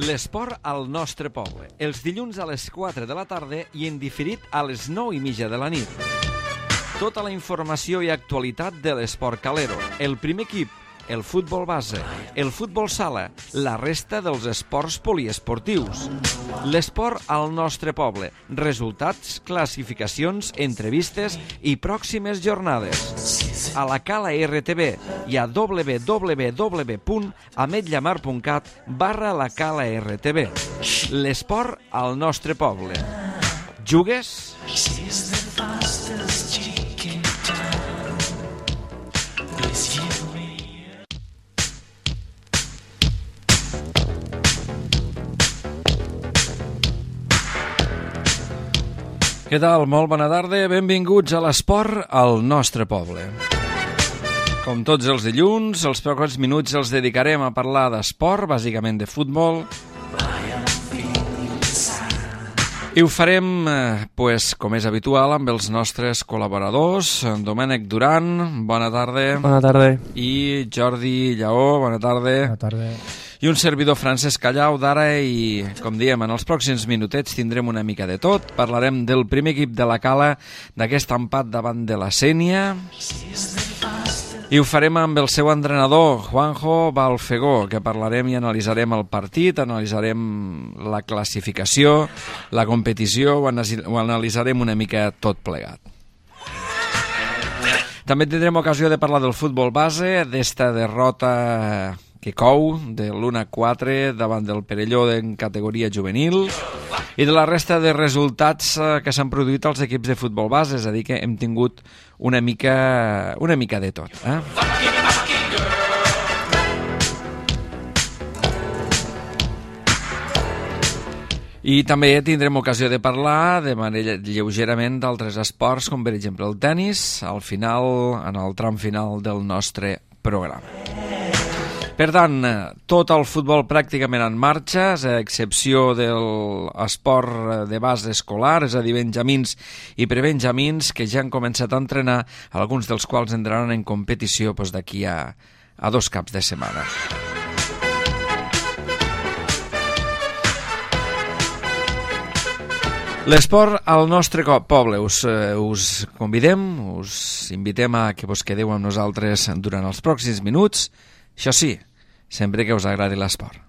L'esport al nostre poble, els dilluns a les 4 de la tarda i en diferit a les 9:30 de la nit. Tota la informació i actualitat de l'esport calero, el primer equip, el futbol base, el futbol sala, la resta dels esports poliesportius. L'esport al nostre poble, resultats, classificacions, entrevistes i pròximes jornades. A la Cala RTV i a www.ametllamar.cat/la Cala RTV. L'esport al nostre poble. Jugues? Què tal? Molt bona tarda, benvinguts a l'esport al nostre poble. Com tots els dilluns, els pocs minuts els dedicarem a parlar d'esport, bàsicament de futbol. I ho farem, com és habitual, amb els nostres col·laboradors. Domènec Duran, bona tarda. Bona tarda. I Jordi Lleó, bona tarda. Bona tarda. I un servidor, Francesc Callau, d'ara, i, com diem, en els pròxims minutets tindrem una mica de tot. Parlarem del primer equip de la Cala, d'aquest empat davant de la Sénia. I ho farem amb el seu entrenador, Juanjo Balfegó, que parlarem i analitzarem el partit, analitzarem la classificació, la competició, ho analitzarem una mica tot plegat. També tindrem ocasió de parlar del futbol base, d'esta derrota que cou de l'1-4 davant del Perelló en categoria juvenil i de la resta de resultats que s'han produït als equips de futbol base, és a dir, que hem tingut una mica de tot. I també tindrem ocasió de parlar de manera lleugerament d'altres esports, com per exemple el tennis, al final, en el tram final del nostre programa. Per tant, tot el futbol pràcticament en marxa, a excepció de l'esport de base escolar, és a dir, benjamins i prebenjamins, que ja han començat a entrenar, alguns dels quals entraran en competició d'aquí a 2 caps de setmana. L'esport al nostre poble. Us convidem, us invitem a que vos quedeu amb nosaltres durant els pròxims minuts. Això sí, sempre que us agradi l'esport.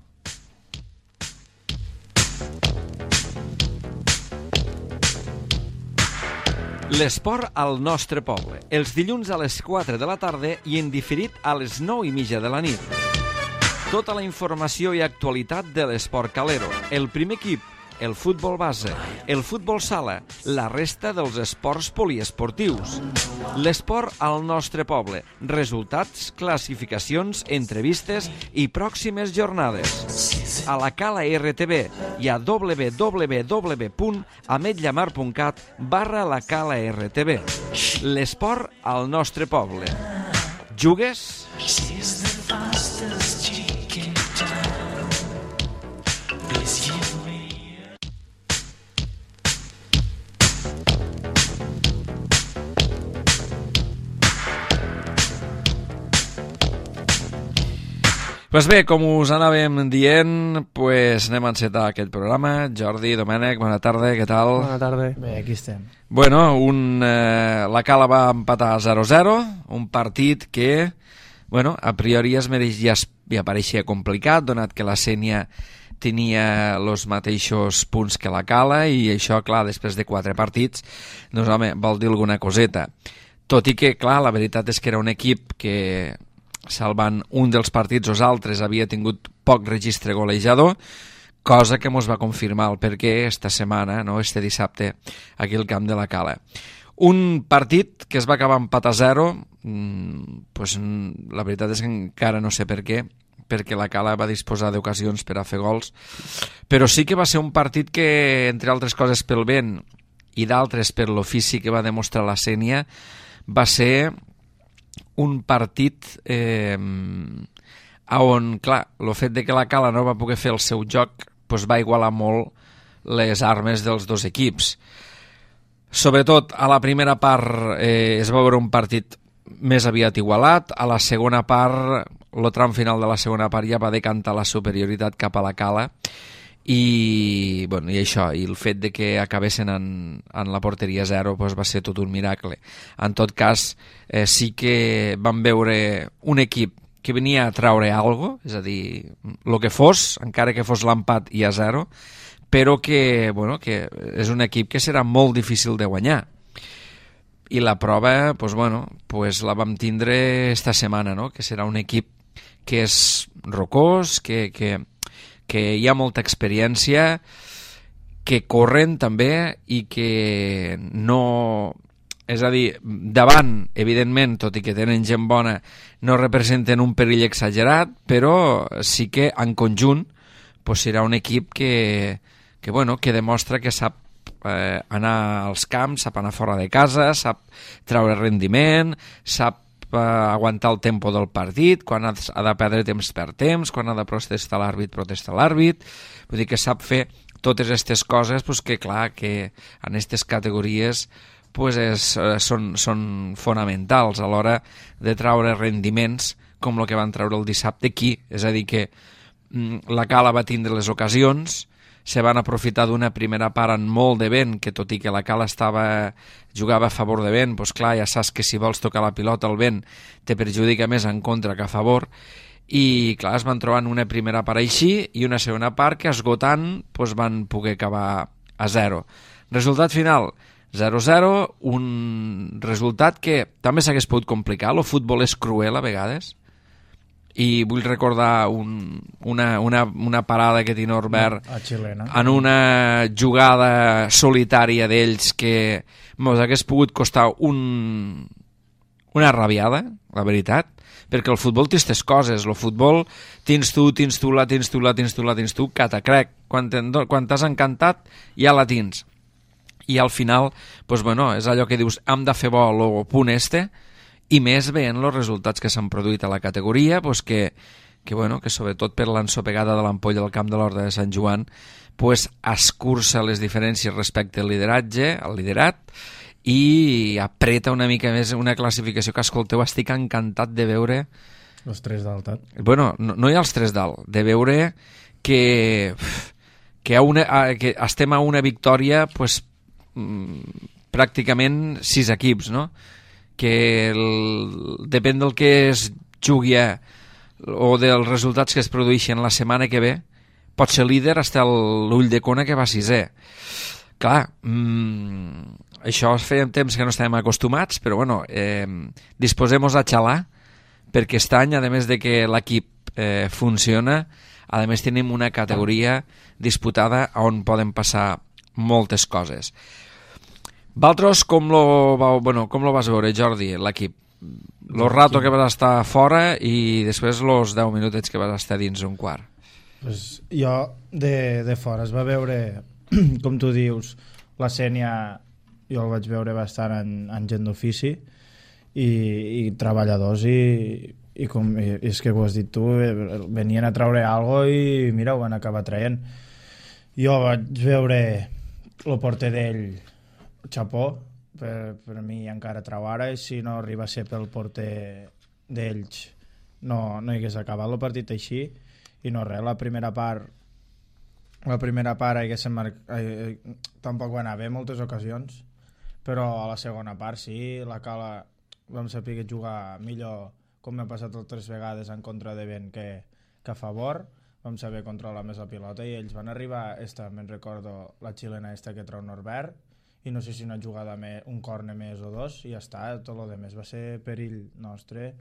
L'esport al nostre poble, els dilluns a les 4 de la tarda i en diferit a les 9:30 de la nit. Tota la informació i actualitat de l'esport calero, el primer equip, el futbol base, el futbol sala, la resta dels esports poliesportius. L'esport al nostre poble, resultats, classificacions, entrevistes i pròximes jornades. A la Cala RTV i a www.ametllamar.cat/la Cala RTV. L'esport al nostre poble. Jugues? Doncs bé, com us anàvem dient, anem a encetar aquest programa. Jordi, Domènec, bona tarda, què tal? Bona tarda. Bé, aquí estem. Bueno, la Cala va empatar 0-0, un partit que, a priori ja pareixia complicat, donat que la Sénia tenia els mateixos punts que la Cala, i això, clar, després de 4 partits, doncs, home, vol dir alguna coseta. Tot i que, clar, la veritat és que era un equip que, salvant un dels partits o els altres, havia tingut poc registre golejador, cosa que ens va confirmar el perquè esta setmana, este dissabte, aquí al camp de la Cala. Un partit que es va acabar empat a 0, la veritat és que encara no sé per què, perquè la Cala va disposar d'ocasions per a fer gols, però sí que va ser un partit que, entre altres coses pel vent i d'altres per l'ofici que va demostrar la Sénia, va ser un partit on, clar, el fet de que la Cala no va poder fer el seu joc va igualar molt les armes dels dos equips. Sobretot a la primera part es va veure un partit més aviat igualat, a la segona part el tram final de la segona part ja va decantar la superioritat cap a la Cala i això, i el fet de que acabessin en la porteria 0 doncs va ser tot un miracle. En tot cas, sí que vam veure un equip que venia a traure alguna cosa, és a dir, el que fos, encara que fos l'empat i a 0, però que és un equip que serà molt difícil de guanyar. I la prova la vam tindre esta setmana, no? Que serà un equip que és rocós, que hi ha molta experiència, que corren també i que no... És a dir, davant, evidentment, tot i que tenen gent bona, no representen un perill exagerat, però sí que en conjunt serà un equip que demostra que sap anar als camps, sap anar fora de casa, sap treure rendiment, sap aguantar el tempo del partit, quan ha de perdre temps per temps, quan ha de protestar l'àrbit, vull dir que sap fer totes aquestes coses que clar, que en aquestes categories són fonamentals a l'hora de treure rendiments com el que van treure el dissabte aquí, és a dir que la Cala va tindre les ocasions, se van aprofitar d'una primera part amb molt de vent, que tot i que la Cala jugava a favor de vent, doncs clar, ja saps que si vols tocar la pilota el vent te perjudica més en contra que a favor, i clar, es van trobar en una primera part així i una segona part que esgotant van poder acabar a 0. Resultat final, 0-0, un resultat que també s'hagués pogut complicar, el futbol és cruel a vegades, i vull recordar una parada que té Norbert en una jugada solitària d'ells que ens hagués pogut costar una rabiada, la veritat, perquè el futbol té aquestes coses, el futbol tens tu, catacrec, quan t'has encantat ja la tens, i al final és allò que dius, hem de fer bo el punt i més veient els resultats que s'han produït a la categoria, que sobretot per l'ensopegada de l'ampolla del Camp de l'Horta de Sant Joan escurça les diferències respecte al liderat, i apreta una mica més una classificació que, escolteu, estic encantat de veure els 3 dalt. No hi ha els 3 dalt, de veure que estem a una victòria pràcticament 6 equips, no? Que depèn del que es jugui o dels resultats que es produeixen la setmana que ve, pot ser líder fins a l'Ull de Cona, que va 6è. Clar, això feia temps que no estàvem acostumats, però disposem-nos a xalar, perquè aquest any, a més de que l'equip funciona, a més tenim una categoria disputada on poden passar moltes coses. Vosaltres com lo vas veure, Jordi, l'equip? Lo rato que vas estar fora i després los 10 minutets que vas estar dins un quart. Jo de fora es va veure, com tu dius, la Sènia, jo el vaig veure bastant en gent d'ofici i treballadors, i és que ho has dit tu, venien a treure alguna cosa i mira, ho van acabar traient. Jo vaig veure el porter d'ell, xapó, per mi encara trau ara, i si no arriba a ser pel porter d'ells no hi hagués acabat el partit així. I no res, la primera part tampoc va anar bé moltes ocasions, però a la segona part sí, la Cala vam saber jugar millor, com m'ha passat 3 vegades en contra de vent que a favor, vam saber controlar més la pilota i ells van arribar, me'n recordo la xilena que treu Norbert, i no sé si una jugada un córner més o 2 i ja està, tot el demés va ser perill nostre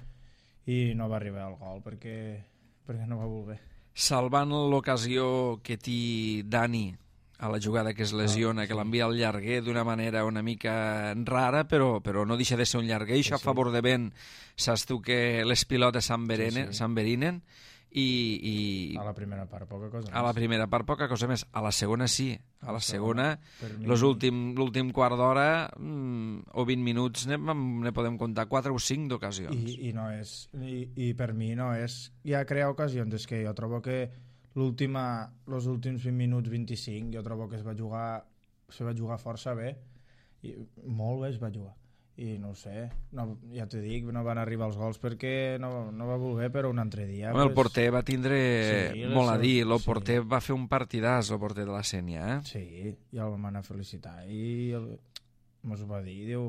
i no va arribar al gol perquè no va voler. Salvant l'ocasió que té Dani a la jugada que es lesiona, que l'envia al llarguer d'una manera una mica rara, però no deixa de ser un llarguer, això a favor de vent, saps tu que les pilotes s'enverinen, i a la primera part poca cosa més. A la primera part poca cosa més, a la segona sí, a la segona l'últim quart d'hora o 20 minuts ne podem comptar 4 o 5 d'ocasions i per mi no és ja crear ocasions, és que jo trobo que els últims 20 minuts 25 jo trobo que es va jugar força bé, i molt bé es va jugar, i no ho sé, no, ja t'ho dic, no van arribar els gols perquè no va voler, però un altre dia... Home, el porter va tindre molt a dir, el sí. porter va fer un partidàs, el porter de la Sénia, Sí, i el vam anar a felicitar i mos ho va dir,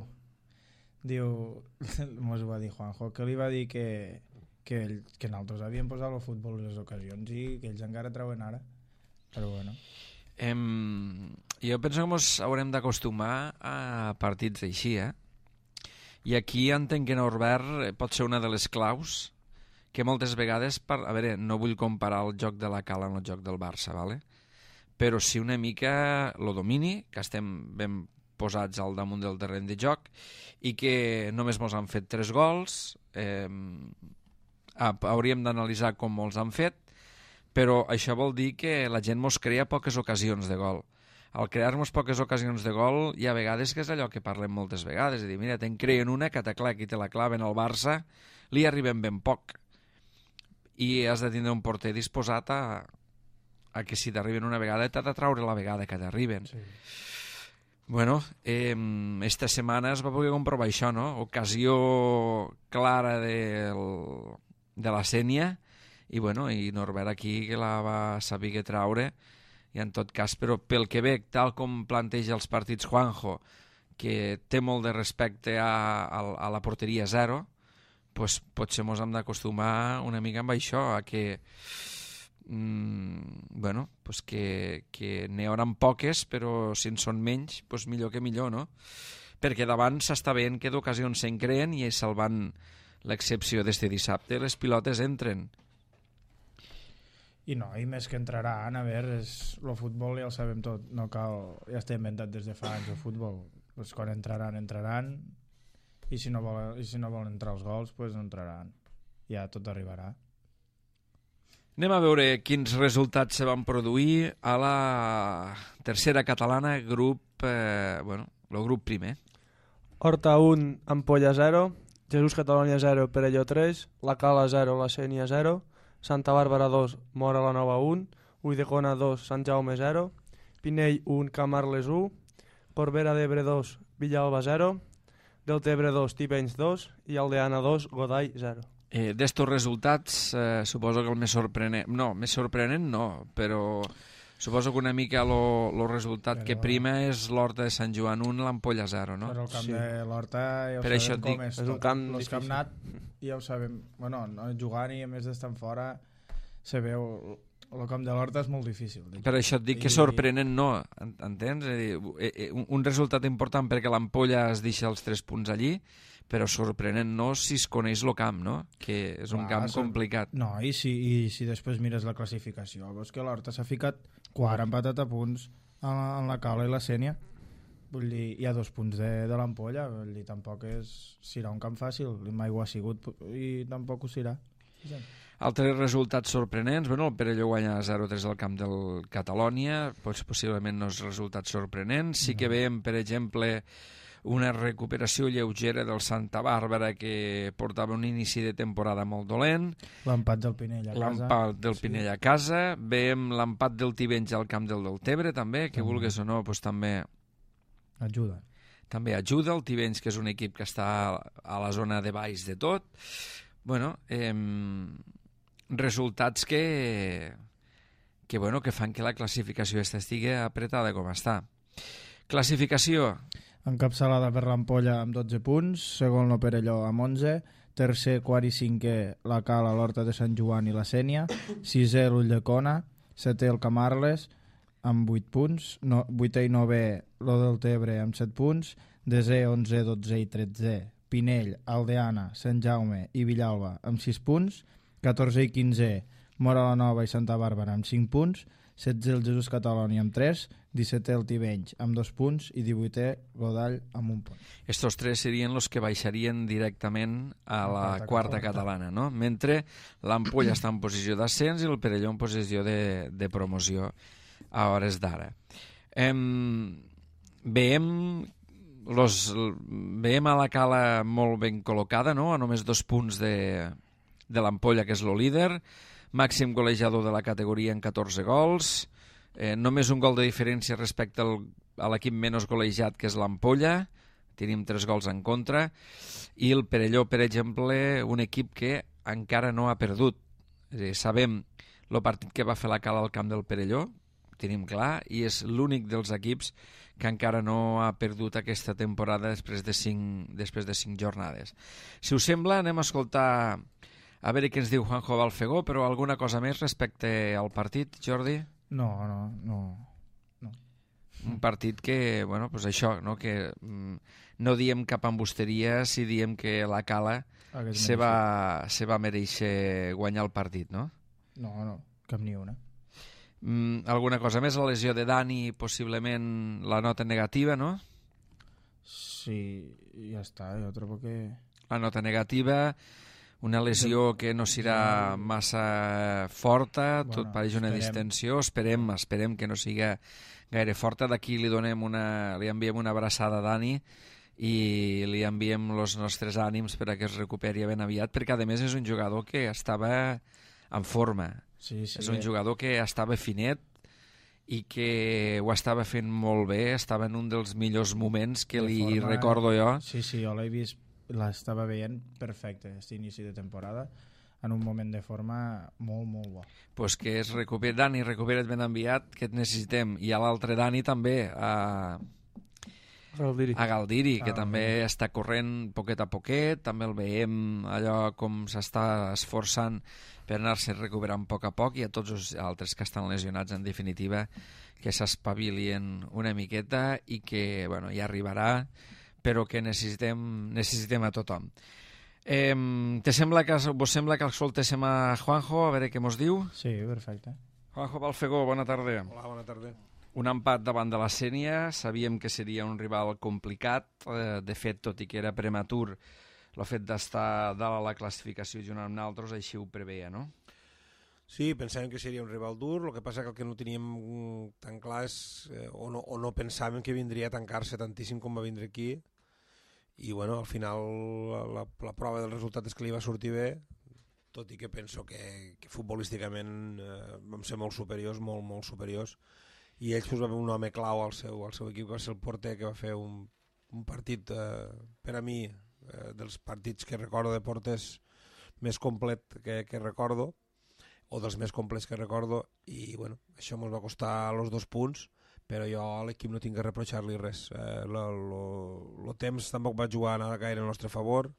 mos ho va dir Juanjo, que li va dir que nosaltres havíem posat el futbol en les ocasions i que ells encara treuen ara, però bueno. Jo penso que ens haurem d'acostumar a partits així, I aquí entenc que Norbert pot ser una de les claus que moltes vegades, a veure, no vull comparar el joc de la Cala amb el joc del Barça, ¿vale? Però sí una mica lo domini, que estem ben posats al damunt del terreny de joc i que només mos han fet 3 gols, hauríem d'analitzar com molts han fet, però això vol dir que la gent mos crea poques ocasions de gol. Al crear-nos poques ocasions de gol hi ha vegades que és allò que parlem moltes vegades, és a dir, mira, te'n creen una que i te la claven al Barça, li arribem ben poc i has de tindre un porter disposat a que si t'arriben una vegada t'ha de traure la vegada que t'arriben. Sí. Bueno, esta setmana es va poder comprovar això, no? Ocasió clara de la Sénia i bueno, i Norbert aquí que la va saber traure i en tot cas, però pel que veig, tal com planteja els partits Juanjo, que té molt de respecte a la porteria zero, pues potser mos hem d'acostumar una mica amb això, a que bueno, pues que n'hi haurà poques, però si en són menys, pues millor que millor, no? Perquè davant s'està veient que d'ocasions se'n creen i salvant l'excepció d'este dissabte, les pilotes entren. I no, i més que entraran, a veure, el futbol ja el sabem tot, no cal, ja està inventat des de fa anys el futbol, pues quan entraran, i si no volen entrar els gols, pues no entraran, ja tot arribarà. Anem a veure quins resultats se van produir a la tercera catalana, grup, el grup primer. Horta 1, Ampolla 0, Jesús Catalunya 0, Perelló 3, La Cala 0, La Sénia 0, Santa Bàrbara 2, Móra la Nova 1, Ulldecona 2, Sant Jaume 0, Pinell 1, Camarles 1, Corbera d'Ebre 2, Villalba 0, Deltebre 2, Tivenys 2 i Aldeana 2, Godall 0. D'estos resultats, suposo que el més sorprenent... No, més sorprenent no, però suposo que una mica el resultat que prima és l'Horta de Sant Joan 1, l'Ampolla 0, no? Però el camp de l'Horta ja ho per sabem com és. És un camp els que hem anat ja ho sabem. Bueno, no jugant i a més d'estar fora se veu... El camp de l'Horta és molt difícil. Per això et dic que sorprenent no, entens? És a dir, un resultat important perquè l'Ampolla es deixa els 3 punts allí, però sorprenent no si es coneix el camp, no? Que és un camp complicat. No, i si després mires la classificació, veus que l'Horta s'ha ficat quart empatat a punts en la Cala i la Sénia. Vull dir, hi ha 2 punts de l'Ampolla, vull dir, tampoc serà un camp fàcil, mai ho ha sigut i tampoc ho serà. Sí. Altres resultats sorprenents, bueno, el Perelló guanya 0-3 al camp del Catalònia, possiblement no és resultat sorprenent. Sí que veiem, per exemple, una recuperació lleugera del Santa Bàrbara que portava un inici de temporada molt dolent. L'empat del Pinell a casa. L'empat del Pinell a casa. Veiem l'empat del Tivenys al camp del Deltebre, també, que vulguis o no, doncs també ajuda. També ajuda el Tivenys, que és un equip que està a la zona de baix de tot. Bueno, resultats que fan que la classificació estigui apretada com està. Classificació. Encapçalada per l'Ampolla amb 12 punts, segon el Perelló amb 11, tercer, quart i cinquè la Cala, l'Horta de Sant Joan i la Sénia, sisè l'Ulldecona, setè el Camarles amb 8 punts, vuitè i novè lo del Tebre amb 7 punts, desè, 11, 12 i 13 Pinell, Aldeana, Sant Jaume i Villalba amb 6 punts, 14 i 15 Móra la Nova i Santa Bàrbara amb 5 punts, 16 el Jesús Catalunya amb 3, 17 el Tivenys amb 2 punts i 18è Godall amb 1 punt. Estos 3 serien els que baixarien directament a la quarta catalana, no? Mentre l'Ampolla està en posició d'ascens i el Perelló en posició de promoció a hores d'ara. Veiem a la Cala molt ben col·locada, no? A només 2 punts de l'Ampolla, que és el líder, màxim golejador de la categoria en 14 gols, només un gol de diferència respecte a l'equip menys golejat, que és l'Ampolla, tenim 3 gols en contra, i el Perelló, per exemple, un equip que encara no ha perdut. És a dir, sabem el partit que va fer la Cala al camp del Perelló, tenim clar, i és l'únic dels equips que encara no ha perdut aquesta temporada després de 5 jornades. Si us sembla, anem a escoltar a veure què ens diu Juanjo Balfegó, però alguna cosa més respecte al partit, Jordi? No. Un partit que, bueno, pues això, no? Que no diem cap embusteria si diem que la Cala se va mereixer guanyar el partit, no? No, cap ni una. Alguna cosa més? La lesió de Dani, possiblement la nota negativa, no? Sí, ja està, jo trobo que... La nota negativa, una lesió que no serà massa forta, tot pareix una distensió, esperem que no siga gaire forta. D'aquí li enviem una abraçada a Dani i li enviem els nostres ànims perquè es recuperi ben aviat, perquè a més és un jugador que estava en forma. Sí. És un jugador que estava finet i que ho estava fent molt bé, estava en un dels millors moments que li recordo jo. Sí, jo l'he vist, l'estava veient perfecte, aquest inici de temporada, en un moment de forma molt, molt bo. Pues que Dani, recupera't ben enviat, que et necessitem. I a l'altre Dani també, a Galdiri, que també està corrent poquet a poquet, també el veiem allò com s'està esforçant per anar-se recuperant a poc, i a tots els altres que estan lesionats, en definitiva, que s'espavilien una miqueta i que, bueno, ja arribarà, però que necessitem a tothom. Vos sembla que escoltéssim a Juanjo, a veure què mos diu? Sí, perfecte. Juanjo Balfegó, bona tarda. Hola, bona tarda. Un empat davant de la Sénia, sabíem que seria un rival complicat, de fet, tot i que era prematur, el fet d'estar dalt a la classificació junt amb nosaltres així ho preveia, no? Sí, pensàvem que seria un rival dur, el que passa que el que no teníem tan clar és, o no pensàvem que vindria a tancar-se tantíssim com va vindre aquí, i bueno, al final la prova del resultat és que li va sortir bé, tot i que penso que futbolísticament vam ser molt superiors, molt superiors, i ells va haver un home clau al seu equip, que va ser el porter, que va fer un partit, per a mi, dels partits que recordo de porters més complet que recordo, o dels més complets que recordo, i bueno, això ens va costar els 2 punts, però jo a l'equip no tinc que reprochar-li res. El temps tampoc va jugar gaire al nostre favor,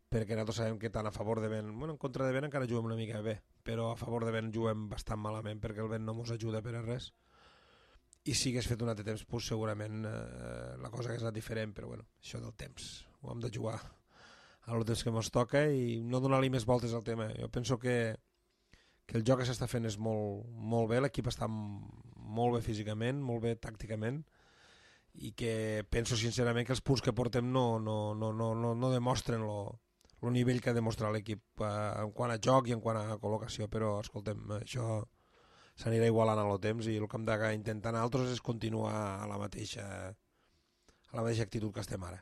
perquè nosaltres sabem que tant a favor de vent, bueno, en contra de vent encara juguem una mica bé, però a favor de vent juguem bastant malament, perquè el vent no ens ajuda per a res, i si hagués fet un altre temps, pues, segurament la cosa hagués anat diferent, però bueno, això del temps, ho hem de jugar al temps que ens toca i no donar-li més voltes al tema. Jo penso que el joc que s'està fent és molt bé, l'equip està molt bé físicament, molt bé tàcticament, i que penso sincerament que els punts que portem no demostren el nivell que ha demostrat l'equip en quant a joc i en quant a col·locació, però escoltem, això s'anirà igualant a el temps, i el que hem d'intentar nosaltres és continuar a la mateixa actitud que estem ara.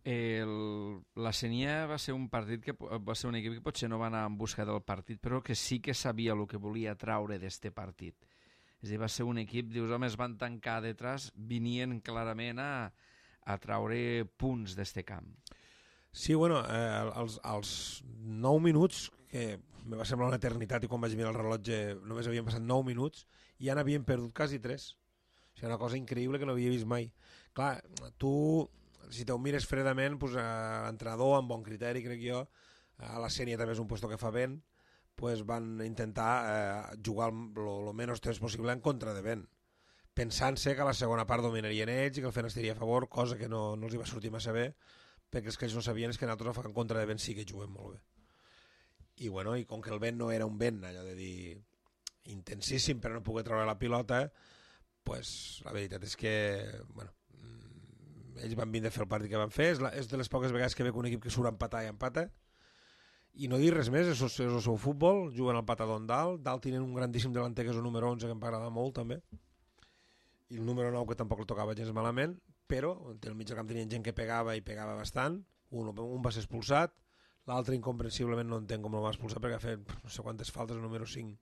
La Sénia va ser un partit que va ser un equip que potser no va anar en busca del partit, però que sí que sabia el que volia traure d'este partit. És a dir, va ser un equip, dius, home, es van tancar detrás, venien clarament a traure punts d'este camp. Sí, bueno, als 9 minuts, que me va semblar una eternitat, i quan vaig mirar el rellotge només havien passat 9 minuts, i ja n'havien perdut quasi 3. O sigui, una cosa increïble que no havia vist mai. Clar, tu, si te ho mires fredament, pues, l'entrenador, amb bon criteri, crec jo, a la Sénia també és un puesto que fa vent, pues van intentar jugar el menys temps possible en contra de vent, pensant-se que a la segona part dominarien ells i que el vent estaria a favor, cosa que no els hi va sortir massa bé, perquè els que ells no sabien és que nosaltres en contra de vent sí que juguem molt bé. I bueno, i com que el vent no era un vent, allò de dir intensíssim per no poder treure la pilota, pues la veritat és que bueno, ells van vindre a fer el partit que van fer, és de les poques vegades que veig un equip que surt a empatar i empata, i no dir res més, és el seu futbol, juguen al patador dalt tenen un grandíssim delanter que és el número 11 que em va agradar molt també, i el número 9 que tampoc el tocava gens malament, però al mig del camp tenien gent que pegava i pegava bastant, un va ser expulsat, l'altre incomprensiblement no entenc com el va expulsar perquè va fer no sé quantes faltes, el número 5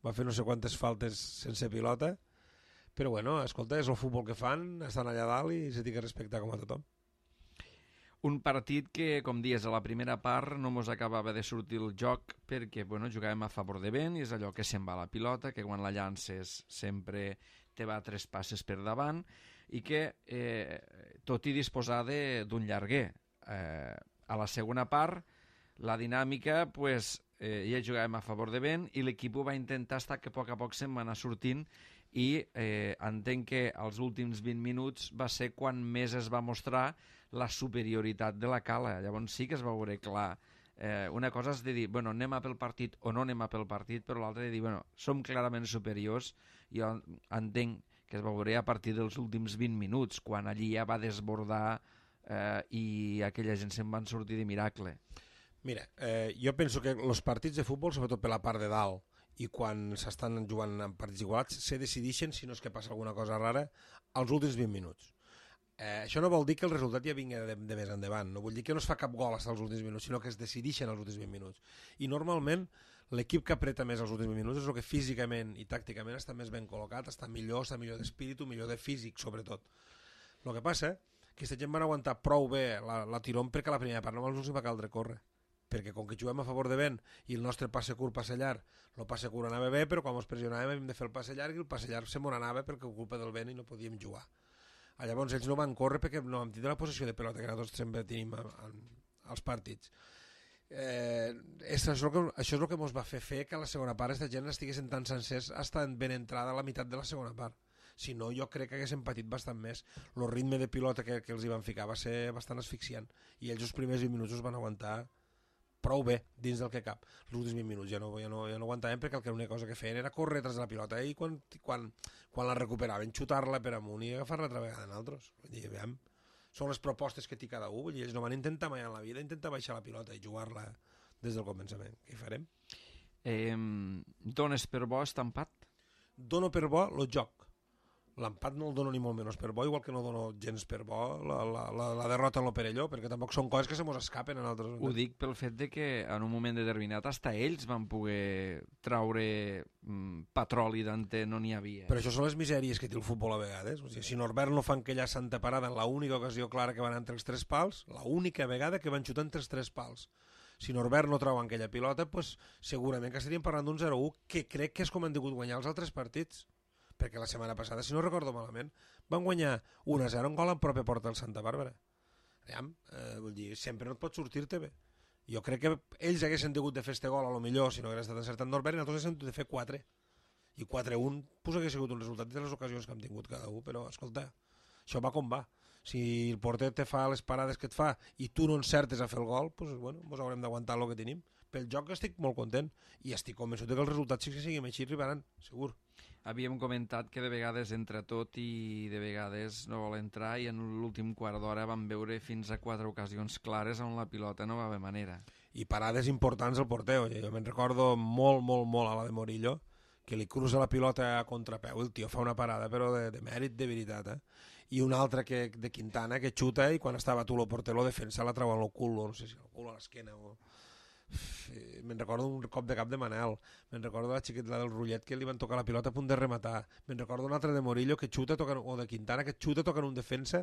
va fer no sé quantes faltes sense pilota, Però bueno, escolta, és el futbol que fan, estan allà dalt i se té que respectar com a tothom. Un partit que, com dius, a la primera part no mos acabava de sortir el joc perquè bueno, jugàvem a favor de vent i és allò que se'n va la pilota, que quan la llances sempre te va 3 passes per davant i que, tot i disposar d'un llarguer, a la segona part la dinàmica pues, ja jugàvem a favor de vent i l'equip ho va intentar estar que a poc se'n va anar sortint i entenc que als últims 20 minuts va ser quan més es va mostrar la superioritat de la Cala. Llavors sí que es va veure clar. Una cosa és de dir, bueno, anem a pel partit o no anem a pel partit, però l'altra de dir, bueno, som clarament superiors. Jo entenc que es va veure a partir dels últims 20 minuts, quan allí ja va desbordar i aquella gent se'n van sortir de miracle. Mira, jo penso que els partits de futbol, sobretot per la part de dalt, i quan s'estan jugant en partits igualats, se decideixen, si no és que passa alguna cosa rara, als últims 20 minuts. Això no vol dir que el resultat ja vingui de més endavant, no vull dir que no es fa cap gol fins als últims minuts, sinó que es decideixen als últims 20 minuts. I normalment l'equip que apreta més als últims 20 minuts és el que físicament i tàcticament està més ben col·locat, està millor d'espíritu, millor de físic, sobretot. El que passa que aquesta gent van aguantar prou bé la tirón perquè a la primera part només no s'hi va caldre córrer, perquè com que juguem a favor de vent i el nostre passe curt, passe llarg, el passe curt anava bé, però quan ens pressionàvem hem de fer el passe llarg i el passe llarg se m'on anava perquè culpa del vent i no podíem jugar. Llavors ells no van córrer perquè no vam tindre la possessió de pelota que nosaltres sempre tenim als partits. Això és el que ens va fer que a la segona part aquesta gent estiguessin tan sencers hasta ben entrada a la meitat de la segona part. Si no, jo crec que haguessin patit bastant més. El ritme de pilota que els hi van ficar va ser bastant asfixiant i ells els primers 20 minuts els van aguantar prou bé dins del que cap. Els últims 20 minuts ja no aguantàvem perquè l'única cosa que feien era córrer tras de la pilota i quan la recuperaven xutar-la per amunt i agafar-la altra vegada en altres. Vull dir, veiem, són les propostes que té cada un, vull dir, ells no van intentar mai en la vida intentar baixar la pilota i jugar-la des del començament. Què hi farem? Dones per bo està empat? Dono per bo el joc. L'empat no el dono ni molt menys per bo, igual que no dono gens per bo la derrota en lo Perelló, perquè tampoc són coses que se mos escapen en altres... Ho dic pel fet de que en un moment determinat hasta ells van poder traure petroli d'on no n'hi havia. Però això són les misèries que té el futbol a vegades. O sigui, si Norbert no fa aquella santa parada en l'única ocasió clara que van entre els 3 pals, l'única vegada que van xutar entre els 3 pals. Si Norbert no treu aquella pilota, pues, segurament que estaríem parlant d'un 0-1 que crec que és com han degut guanyar els altres partits. Perquè la setmana passada, si no recordo malament, van guanyar 1-0 un gol en pròpia porta del Santa Bàrbara. Vull dir, sempre no et pot sortir-te bé. Jo crec que ells haguessin degut de fer este gol, a lo millor, si no hagués estat encertat Norbert, i nosaltres haguessin de fer 4. I 4-1 pues, hagués sigut un resultat de les ocasions que hem tingut cada un, però escolta, això va com va. Si el porter te fa les parades que et fa i tu no encertes a fer el gol, pues, bueno, ens haurem d'aguantar el que tenim. Pel joc estic molt content i estic convençut que els resultats sí que siguin així arribaran, segur. Havíem comentat que de vegades entra tot i de vegades no vol entrar i en l'últim quart d'hora vam veure fins a 4 ocasions clares on la pilota no va haver manera. I parades importants al porter. Jo me'n recordo molt a la de Morillo, que li cruza la pilota a contrapeu, el tio fa una parada però de mèrit, de veritat. I una altra de Quintana que xuta i quan estava tu el porter lo defensa la treu al cul, no sé si al cul a l'esquena o... Me'n recordo un cop de cap de Manel, me'n recordo la xiqueta del Rullet que li van tocar la pilota a punt de rematar, me'n recordo un altre de Morillo que xuta o de Quintana que xuta tocant un defensa,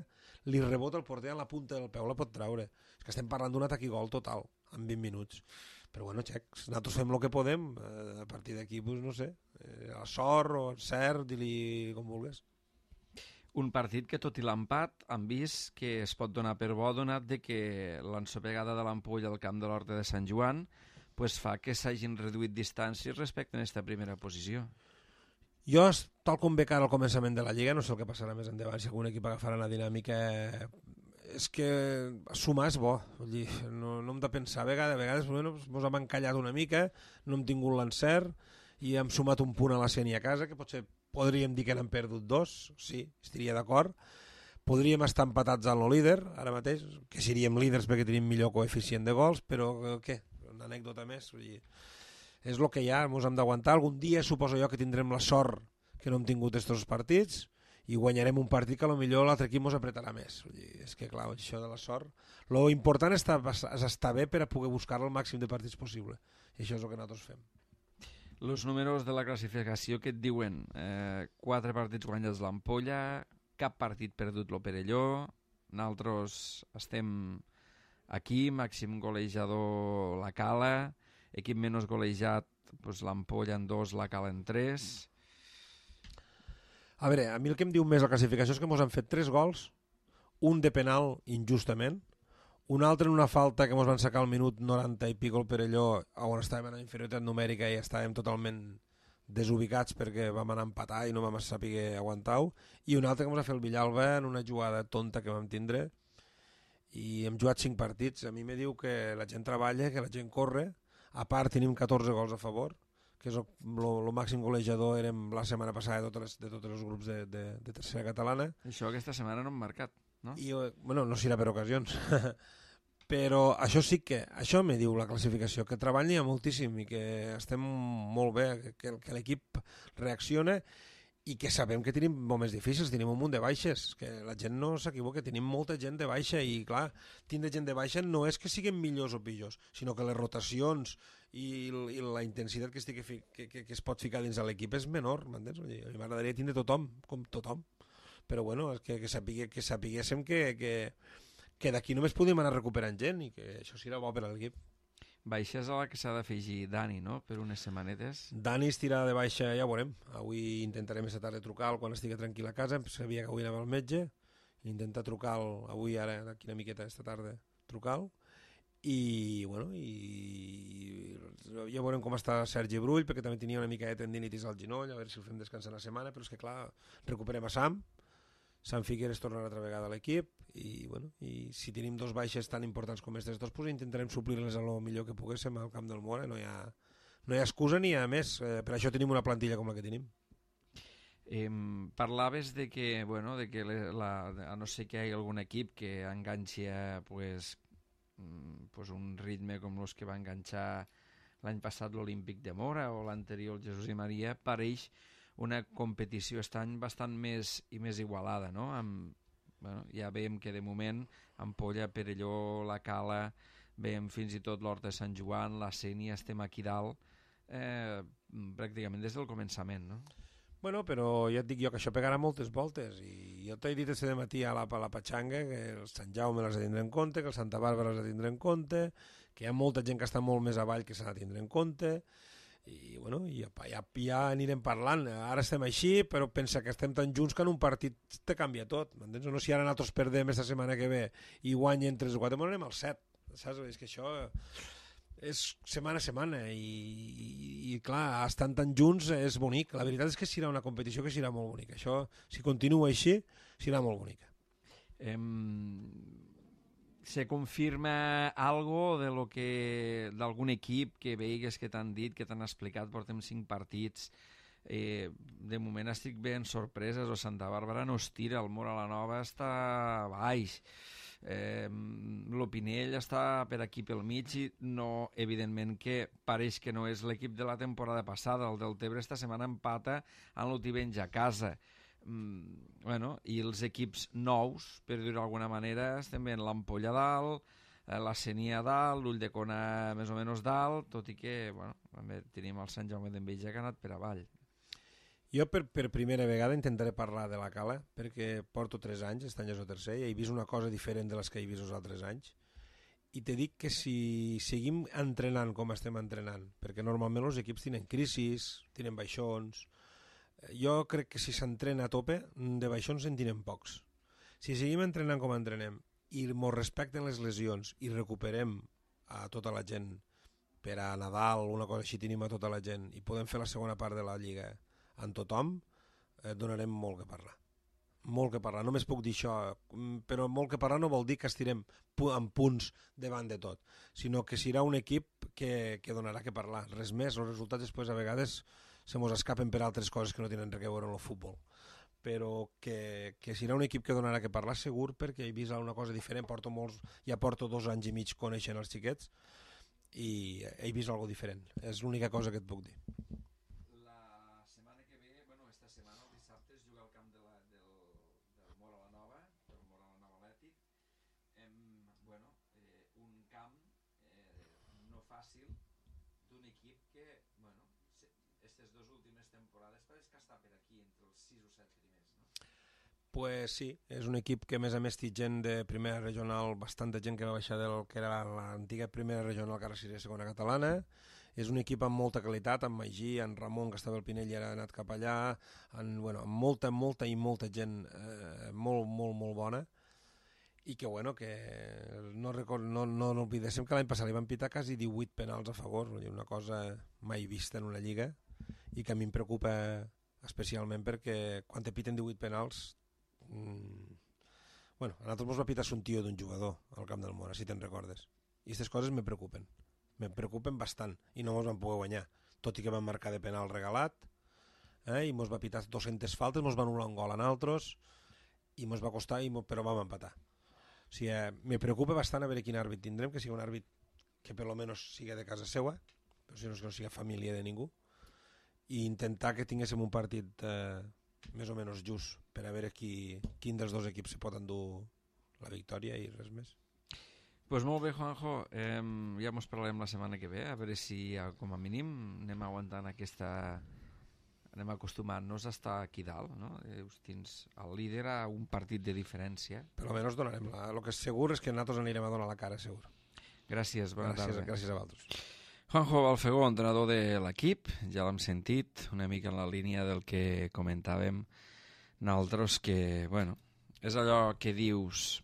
li rebota el porter a la punta del peu, la pot treure. És que estem parlant d'un atac i gol total en 20 minuts, però bueno, xecs, nosaltres fem el que podem, a partir d'aquí pues, no sé, a sort o encert, di-li com vulguis. Un partit que, tot i l'empat, han vist que es pot donar per bo, donat de que l'ensopegada de l'Ampolla al camp de l'Horta de Sant Joan pues fa que s'hagin reduït distàncies respecte a aquesta primera posició. Jo, tal com veig ara al començament de la Lliga, no sé el que passarà més endavant, si algun equip agafarà la dinàmica, és que sumar és bo, vull dir, no hem de pensar, a vegades bueno, ens hem encallat una mica, no hem tingut l'encert i hem sumat un punt a la Sénia a casa, que potser podríem dir que n'han perdut 2, sí, estaria d'acord. Podríem estar empatats amb el líder, ara mateix, que seríem líders perquè tenim millor coeficient de gols, però què? Una anècdota més. Vull dir, és el que hi ha, ens hem d'aguantar. Algun dia suposo jo que tindrem la sort que no hem tingut aquests partits i guanyarem un partit que potser l'altre equip ens apretarà més. Vull dir, és que clar, això de la sort... Lo important és estar bé per a poder buscar el màxim de partits possible. I això és el que nosaltres fem. Els números de la classificació que et diuen 4 partits guanyats l'Ampolla, cap partit perdut lo Perelló, nosaltres estem aquí, màxim golejador la Cala, equip menys golejat pues, l'Ampolla en 2, la Cala en 3. A veure, a mi el que em diu més la classificació és que ens han fet 3 gols, un de penal injustament, un altre en una falta que ens van sacar al minut 90 i pico el Perelló, on estàvem en inferioritat numèrica i estàvem totalment desubicats perquè vam anar a empatar i no vam saber aguantar-ho, i un altre que ens va fer el Villalba en una jugada tonta que vam tindre, i hem jugat 5 partits. A mi me diu que la gent treballa, que la gent corre, a part tenim 14 gols a favor, que és el màxim golejador érem la setmana passada de tots els grups de tercera catalana. Això aquesta setmana no hem marcat, no? I, bueno, no serà per ocasions. Però això me diu la classificació, que treballa hi ha moltíssim i que estem molt bé, que l'equip reacciona i que sabem que tenim moments difícils, tenim un munt de baixes, que la gent no s'equivoca, tenim molta gent de baixa i clar, tindre gent de baixa no és que siguin millors o pitjors, sinó que les rotacions i la intensitat que es pot ficar dins de l'equip és menor, m'entens? A mi m'agradaria tindre tothom, com tothom, però bueno, que sapiguéssim que d'aquí només podíem anar recuperant gent i que això serà bo per a l'equip. Baixes a la que s'ha d'afegir Dani, no?, per unes setmanetes. Dani es tira de baixa, ja ho veurem. Avui intentarem aquesta tarda trucar-lo quan estigui tranquil a casa. Em sabia que avui anava al metge. Intentar trucar-lo avui, ara, d'aquí una miqueta, aquesta tarda, trucar-lo. I, bueno, ja veurem com està Sergi Brull, perquè també tenia una mica de tendinitis al genoll, a veure si el fem descansar una setmana, però és que, clar, recuperem a Sam Figueres tornarà altra vegada a l'equip i, bueno, i si tenim 2 baixes tan importants com aquestes dos, pues intentarem suplir-les el millor que poguéssim al camp del Mora. No hi ha excusa ni a més, per això tenim una plantilla com la que tenim. Parlaves de que, bueno, de que a no ser que hi hagi algun equip que enganxi pues un ritme com els que va enganxar l'any passat l'Olímpic de Mora o l'anterior el Jesús i Maria, pareix una competició aquest any bastant més igualada, no? Bueno, ja veiem que de moment Ampolla, Perelló, la Cala, veiem fins i tot l'Horta de Sant Joan, la Sénia, estem aquí dalt pràcticament des del començament, no? Bueno, però ja et dic jo que això pegarà moltes voltes i jo t'he dit aquest matí a la Patxanga que el Sant Jaume les ha de tindre en compte, que el Santa Bàrbara les ha de tindre en compte, que hi ha molta gent que està molt més avall que s'ha de tindre en compte i bueno, ja anirem parlant. Ara estem així, però pensa que estem tan junts que en un partit te canvia tot, m'entens? No, si ara nosaltres perdem aquesta setmana que ve i guanyen 3 o 4, anem al 7, saps? És que això és setmana a setmana i clar, estan tan junts és bonic. La veritat és que serà una competició que serà molt bonica. Això, si continua així, serà molt bonica. Se confirma algo de lo que d'algun equip que veigues que t'han dit, que t'han explicat, portem 5 partits, de moment estic ben sorpreses, o Santa Bàrbara no es tira, el Mora la Nova està baix, l'Opinell està per aquí pel mig i no, evidentment que pareix que no és l'equip de la temporada passada, el del Tebre esta setmana empata amb l'Otivenys a casa. Bueno, i els equips nous, per dir-ho d'alguna manera, estem veient l'Ampolla dalt, la Sénia dalt, l'Ulldecona més o menys dalt, tot i que, bueno, també tenim el Sant Jaume d'Enveja que ha anat per avall. Jo per primera vegada intentaré parlar de la Cala, perquè porto 3 anys, aquest any és el tercer, i he vist una cosa diferent de les que he vist els altres anys, i te dic que si seguim entrenant com estem entrenant, perquè normalment els equips tenen crisis, tenen baixons. Jo crec que si s'entrena a tope, de baixons en tenen pocs. Si seguim entrenant com entrenem i ens respecten les lesions i recuperem a tota la gent per a Nadal, una cosa així, tenim a tota la gent i podem fer la segona part de la Lliga amb tothom, donarem molt que parlar. Molt que parlar, només puc dir això, però molt que parlar no vol dir que estirem en punts davant de tot, sinó que serà un equip que donarà que parlar, res més. Els resultats després a vegades se mos escapen per altres coses que no tenen res a veure amb el futbol, però que serà un equip que donarà que parlar segur, perquè he vist una cosa diferent, ja porto 2 anys i mig coneixent els xiquets i he vist alguna cosa diferent, és l'única cosa que et puc dir. La setmana que ve, bueno, esta setmana, el dissabte, es juga al camp del Mora la Nova, del Mora la Nova Atlètic. Bueno, un camp no fàcil d'un equip que, bueno, aquestes dues últimes temporades pareix que està per aquí entre els 6 o 7 primers, no? Pues sí, és un equip que a més té gent de primera regional, bastanta gent que va baixar del que era l'antiga primera regional, que ara seria segona catalana. És un equip amb molta qualitat, amb Magí, en Ramon, que estava al Pinell i ara ha anat cap allà, amb molta gent molt bona, i que, no oblidéssim que l'any passat li van pitar quasi 18 penals a favor, una cosa mai vista en una lliga, i que a mi em preocupa especialment perquè quan te piten 18 penals, a nosaltres ens va pitar un tio d'un jugador al Camp del Mora, si te'n recordes, i aquestes coses me preocupen bastant, i no ens van poder guanyar, tot i que van marcar de penal regalat, i ens va pitar 200 faltes, ens van anul·lar un gol a nosaltres, i ens va costar, però vam empatar. O sigui, me preocupa bastant a veure quin àrbit tindrem, que sigui un àrbit que per lo menos siga de casa seva, però si no, que no siga família de ningú, i intentar que tinguéssim un partit més o menys just per a veure quin dels dos equips se pot endur la victòria i res més. Pues molt bé, Juanjo, ja mos parlarem la setmana que ve, a veure si com a mínim anem aguantant anem acostumant-nos a estar aquí dalt, no? Tens el líder a un partit de diferència. Per almenys donarem el que és segur és que nosaltres anirem a donar la cara, segur. Gràcies, bona tarda. Gràcies a vosaltres. Juanjo Balfegó, entrenador de l'equip, ja l'hem sentit, una mica en la línia del que comentàvem nosaltres, que, és allò que dius...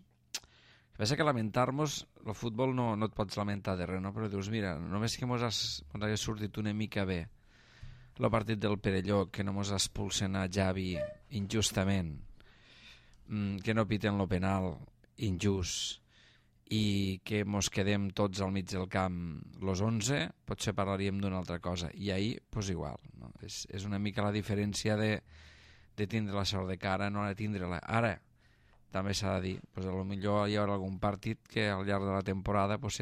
Pensa que lamentar-nos, el futbol no et pots lamentar de res, no? Però dius, mira, només que mos hagués sortit una mica bé el partit del Perelló, que no mos expulsen a Javi injustament, que no piten lo penal injust i que mos quedem tots al mig del camp los 11, potser parlaríem d'una altra cosa. I ahir, pues igual, no? És una mica la diferència de tindre la sort de cara, no de tindre-la. Ara, també s'ha de dir, pues potser hi haurà algun partit que al llarg de la temporada pues,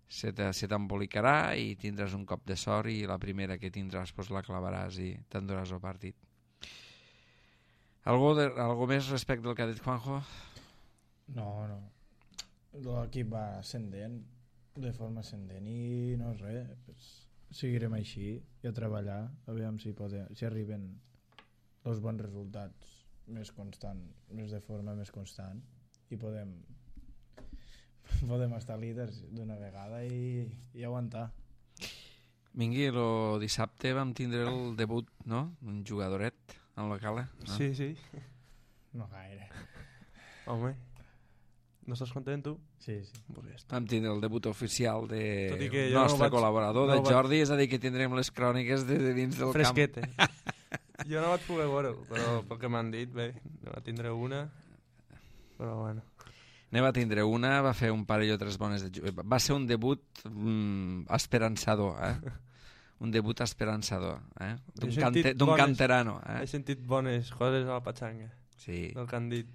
se t'embolicarà i tindràs un cop de sort i la primera que tindràs pues, la clavaràs i t'enduràs el partit. Algo més respecte al que ha dit Juanjo? No. L'equip va ascendent, de forma ascendent, i no és res, pues, seguirem així i a treballar, aviam si arriben els bons resultats més de forma més constant, i podem estar líders d'una vegada i aguantar. Mingui, el dissabte vam tindre el debut, no?, d'un jugadoret en la cala. No? Sí. No gaire. Home, no estàs content, tu? Sí. Pues ja està. Vam tindre el debut oficial del no nostre col·laborador, de Jordi, és a dir, que tindrem les cròniques de dins del fresquete. camp. Jo no vaig poder veure-ho, però pel que m'han dit, bé, no va tindre una, però bueno. Ne va tindre una, va fer un parell o tres bones va ser un debut esperançador, un debut esperançador, d'un canterano. He sentit bones coses a la patxanga, sí. del que han dit.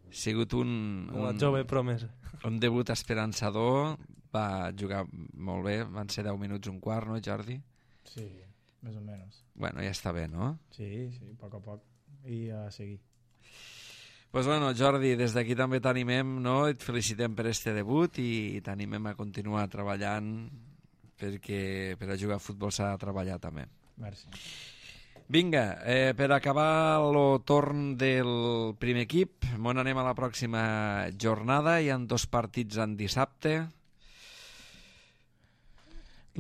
Ha sigut una jove promesa. Un debut esperançador, va jugar molt bé, van ser 10 minuts un quart, no, Jordi? Sí, més o menys. Bueno, ja està bé, no? Sí, a poc a poc, i a seguir. Pues bueno, Jordi, des d'aquí també t'animem, no? Et felicitem per este debut i t'animem a continuar treballant perquè per a jugar a futbol s'ha de treballar també. Merci. Vinga, per acabar el torn del primer equip, anem a la pròxima jornada, hi ha 2 partits en dissabte.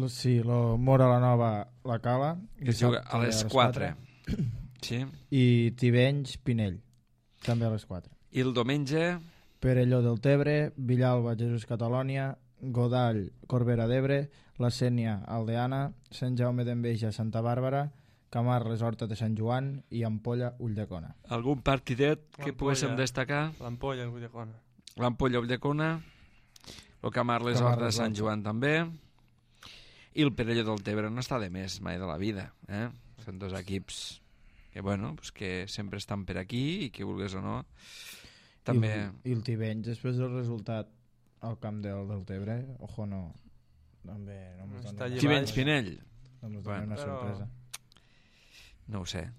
Sí, lo Mora la Nova, la Cala, que juga a les 4. Sí. I Tivenys, Pinell, també a les 4. I el diumenge? Perelló del Tebre, Villalba, Jesús Catalònia, Godall, Corbera d'Ebre, La Sénia, Aldeana, Sant Jaume d'Enveja, Santa Bàrbara, Camarles, Horta de Sant Joan i Ampolla, Ulldecona. Algun partidet que poguéssim destacar? L'Ampolla, Ulldecona. L'Ampolla, Ulldecona, el Camarles, Horta de Sant Joan també, i el Perelló del Tebre no està de més mai de la vida. Són 2 equips que, pues que sempre estan per aquí i que vulgués o no també... I el Tivenys, després del resultat al camp del Tebre, ojo, no, també no mos dona... Tivenys, Pinell? No mos dona una sorpresa. No ho sé.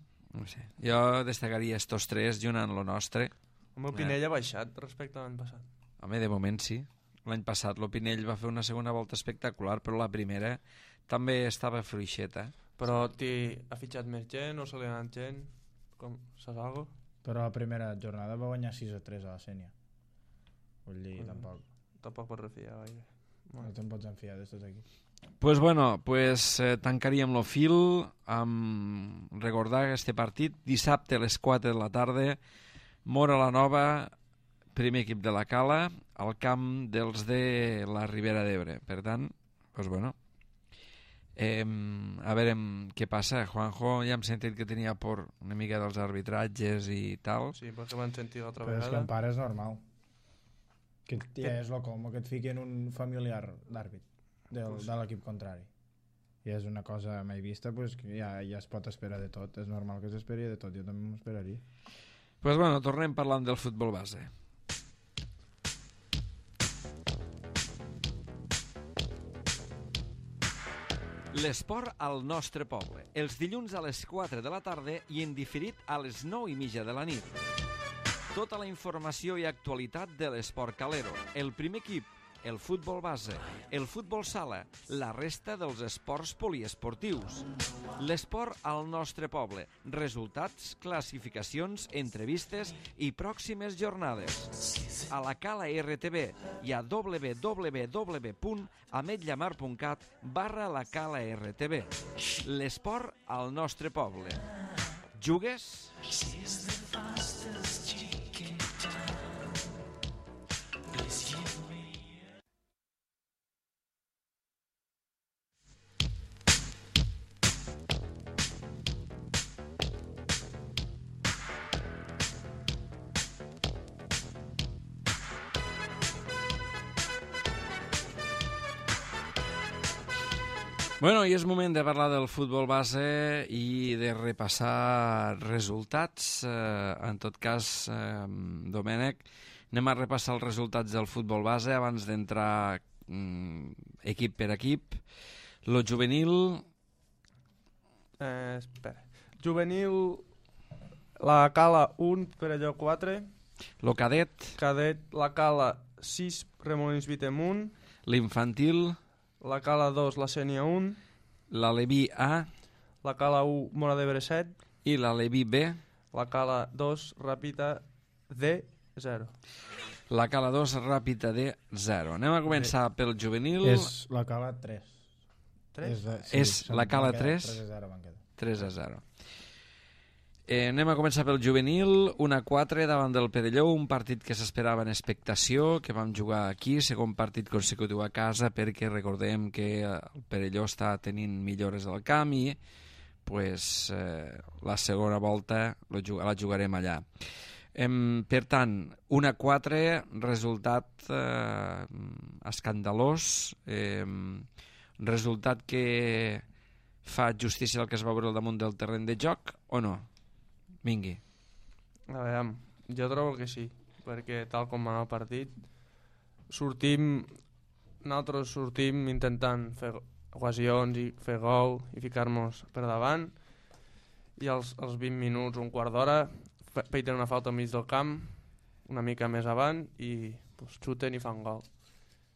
Jo destacaria estos 3 junt amb lo nostre. El Pinell ha baixat respecte a l'any passat. Home, de moment sí. L'any passat el Pinell va fer una segona volta espectacular, però la primera també estava fluixeta. Però ha fitxat més gent o se li ha anat gent? Com, saps alguna cosa? Però la primera jornada va guanyar 6-3 a la Sènia. Vull dir, Tampoc pots refiar gaire. No te'n pots enfiar d'estos aquí. Pues bueno, tancaríem el fil amb recordar este partit dissabte a les 4 de la tarda, Móra la Nova, primer equip de la Cala, al camp dels de la Ribera d'Ebre. Per tant, pues bueno, a veure què passa. Juanjo, ja hem sentit que tenia por una mica dels arbitratges i tal. Sí, perquè m'han sentit l'altra Però és que vegada. en pare és normal. Que ja és com que et fiquen un familiar d'àrbit de l'equip contrari. I és una cosa mai vista, pues, que ja es pot esperar de tot. És normal que s'esperi de tot, jo també m'ho esperaria. Pues bueno, tornem parlant del futbol base. L'esport al nostre poble. Els dilluns a les 4 de la tarda i en diferit a les 9:30 de la nit. Tota la informació i actualitat de l'esport calero. El primer equip, el futbol base, el futbol sala, la resta dels esports poliesportius. L'esport al nostre poble. Resultats, classificacions, entrevistes i pròximes jornades. A la Cala RTV i a www.ametllamar.cat/la Cala RTV. L'esport al nostre poble. Jugues? Bueno, i és moment de parlar del futbol base i de repassar resultats. En tot cas, Domènec, anem a repassar els resultats del futbol base abans d'entrar equip per equip. Lo juvenil... Espera. Juvenil, la Cala 1, Perelló 4. Lo cadet. Cadet, la Cala 6, Remolins Vitem 1. L'infantil. La Cala 2, la Sènia 1. L'Aleví A. La Cala 1, Móra d'Ebre 7. I l'Aleví B. La Cala 2, Ràpita D 0. La Cala 2, Ràpita D 0. Anem a començar pel juvenil. És la Cala 3. 3? És la Cala 3. 3-0 van quedar. 3-0. Anem a començar pel juvenil, 1-4 davant del Perelló, un partit que s'esperava en expectació, que vam jugar aquí, segon partit consecutiu a casa, perquè recordem que el Perelló està tenint millores al camp i pues, la segona volta la jugarem allà. Per tant, 1-4, resultat escandalós, resultat que fa justícia al que es va veure al damunt del terreny de joc o no? Vingui. A veure, jo trobo que sí, perquè tal com va anar el partit, nosaltres sortim intentant fer ocasions i fer gol i ficar-nos per davant, i als 20 minuts, un quart d'hora, feiten una falta al mig del camp, una mica més avant, i pues, xuten i fan gol.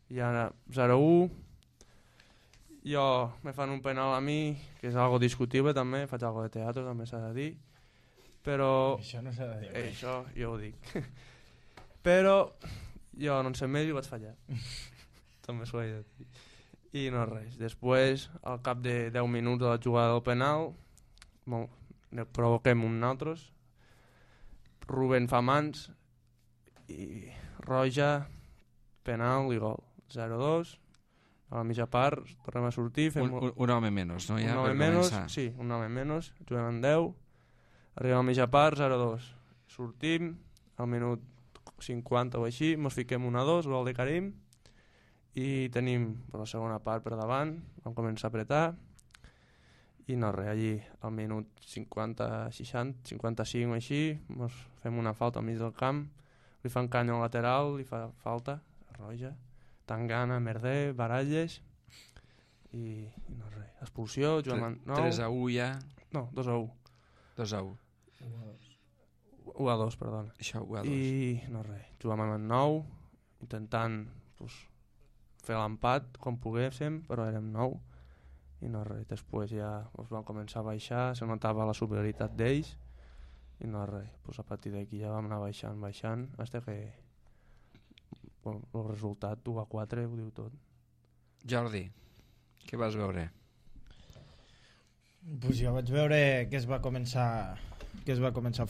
I ara 0-1, jo me fan un penal a mi, que és algo discutible també, faig algo de teatre, també s'ha de dir, però... Això no s'ha de dir. Això jo ho dic. Però jo no en sé més i vaig fallar. També s'ho he de dir. I no res. Després, al cap de 10 minuts de la jugada del penal, ne provoquem un altres. Rubén fa mans i Roja, penal i gol. 0-2. A la mitja part tornem a sortir. Fem un home menys, no? Ja, un home menys, sí, un home menys. Juguem en 10. Arribem a la mitja part, 0-2. Sortim, al minut 50 o així, mos fiquem 1-2, gol de Karim, i tenim per la segona part per davant, vam començar a apretar, i no res, allí al minut 50, 60, 55 o així, mos fem una falta al mig del camp, li fan canya al lateral, li fa falta, Roja, Tangana, Merder, Baralles, i no res, expulsió, juguem en 9... 3-1 ja? No, 2-1. 2-1. 1-2, perdona. Això, 1-2. I no res, juguem en 9, intentant pues, fer l'empat com poguéssim, però érem 9. i no res, després ja pues, van començar a baixar, se notava la superioritat d'ells i no res, pues, a partir d'aquí ja vam anar baixant fins que bueno, el resultat 1-4 ho diu tot. Jordi, què vas veure? Pues jo vaig veure que es va començar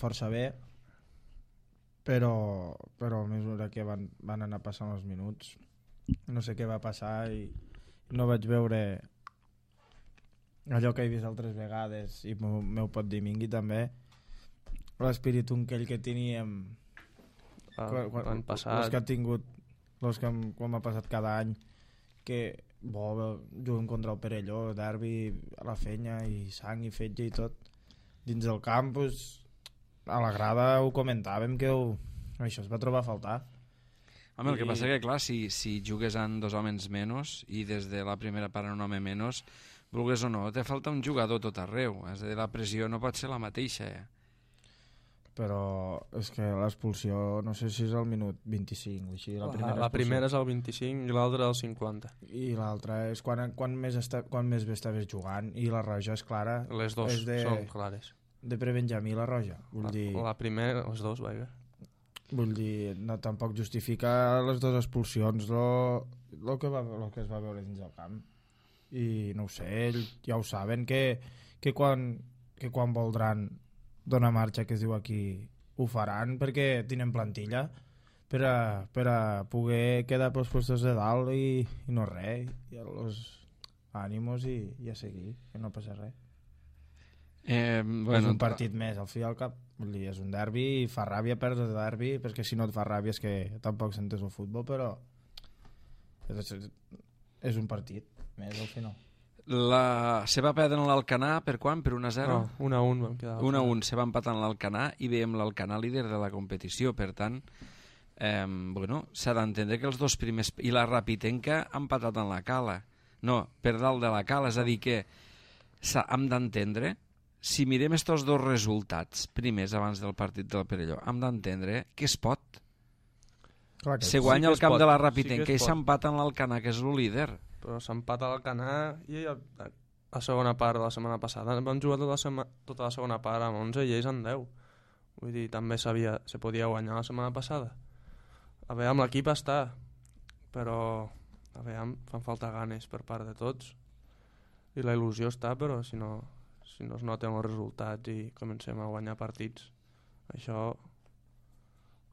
força bé, però a mesura que van anar passant els minuts no sé què va passar i no vaig veure allò que he vist altres vegades i m'ho pot dir Mingui també, l'espírit aquell que teníem l'any passat, els que ha tingut quan m'ha passat cada any, que juguem contra el Perelló, derbi a la Fenya i sang i fetge i tot dins del camp, pues, a la grada ho comentàvem que això es va trobar a faltar. Home, el que passa que, clar, si jugues amb 2 homes menys i des de la primera part un home menys, vulgues o no, te falta un jugador tot arreu. És a dir, la pressió no pot ser la mateixa. Però és que l'expulsió, no sé si és al minut 25 o així. La primera és al 25 i l'altra al 50. I l'altra és quan més bé estaves jugant, i la roja és clara. Les dues són clares. De prebenjamí la roja. La primera, les dues, vaja. Vull dir, no, tampoc justifica les dues expulsions el que es va veure dins del camp. I no ho sé, ells ja ho saben que quan voldran donar marxa, que es diu aquí, ho faran perquè tenen plantilla per a poder quedar pels puestos de dalt i no res, i els ànimos i a seguir, que no passa res. És un partit més al fi i al cap, vull dir, és un derbi i fa ràbia perdre el derbi, perquè si no et fa ràbia és que tampoc sentes el futbol, però és un partit més al final. Se va perdre l'Alcanar per quan? Per 1-0? No, 1-1 vam quedar. 1-1, se va empatar en l'Alcanar i veiem l'Alcanar líder de la competició, per tant s'ha d'entendre que els dos primers i la Rapitenca han empatat en la Cala, no, per dalt de la Cala, és a dir que hem d'entendre, si mirem estos dos resultats primers abans del partit del Perelló, hem d'entendre que es pot. Se guanya el camp de la Rapitenca i s'empata en l'Alcanar, que és el líder. Però s'empata a l'Alcanar i a segona part de la setmana passada vam jugar tota la segona part amb 11 i ells en 10. Vull dir, també se podia guanyar la setmana passada. A veure, amb l'equip està, però a veure, fan falta ganes per part de tots i la il·lusió està, però si no es noten els resultats i comencem a guanyar partits, això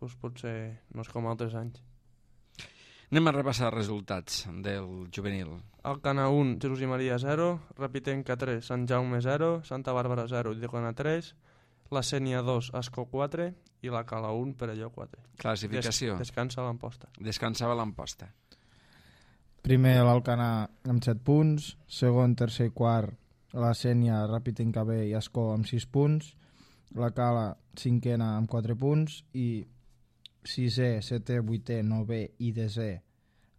doncs potser no és com altres anys. Anem a repassar els resultats del juvenil. Alcanar 1, Jesús i Maria 0, Rapitenca 3, Sant Jaume 0, Santa Bàrbara 0, Ulldecona 3, la Sénia 2, Ascó 4 i la Cala 1, Perelló 4. Classificació. Descansa l'Amposta. Descansava l'Amposta. Primer l'Alcanar amb 7 punts, segon, tercer i quart la Sénia, Rapitenca B i Ascó amb 6 punts, la Cala cinquena amb 4 punts i 6è, 7è, 8è, 9è i 10è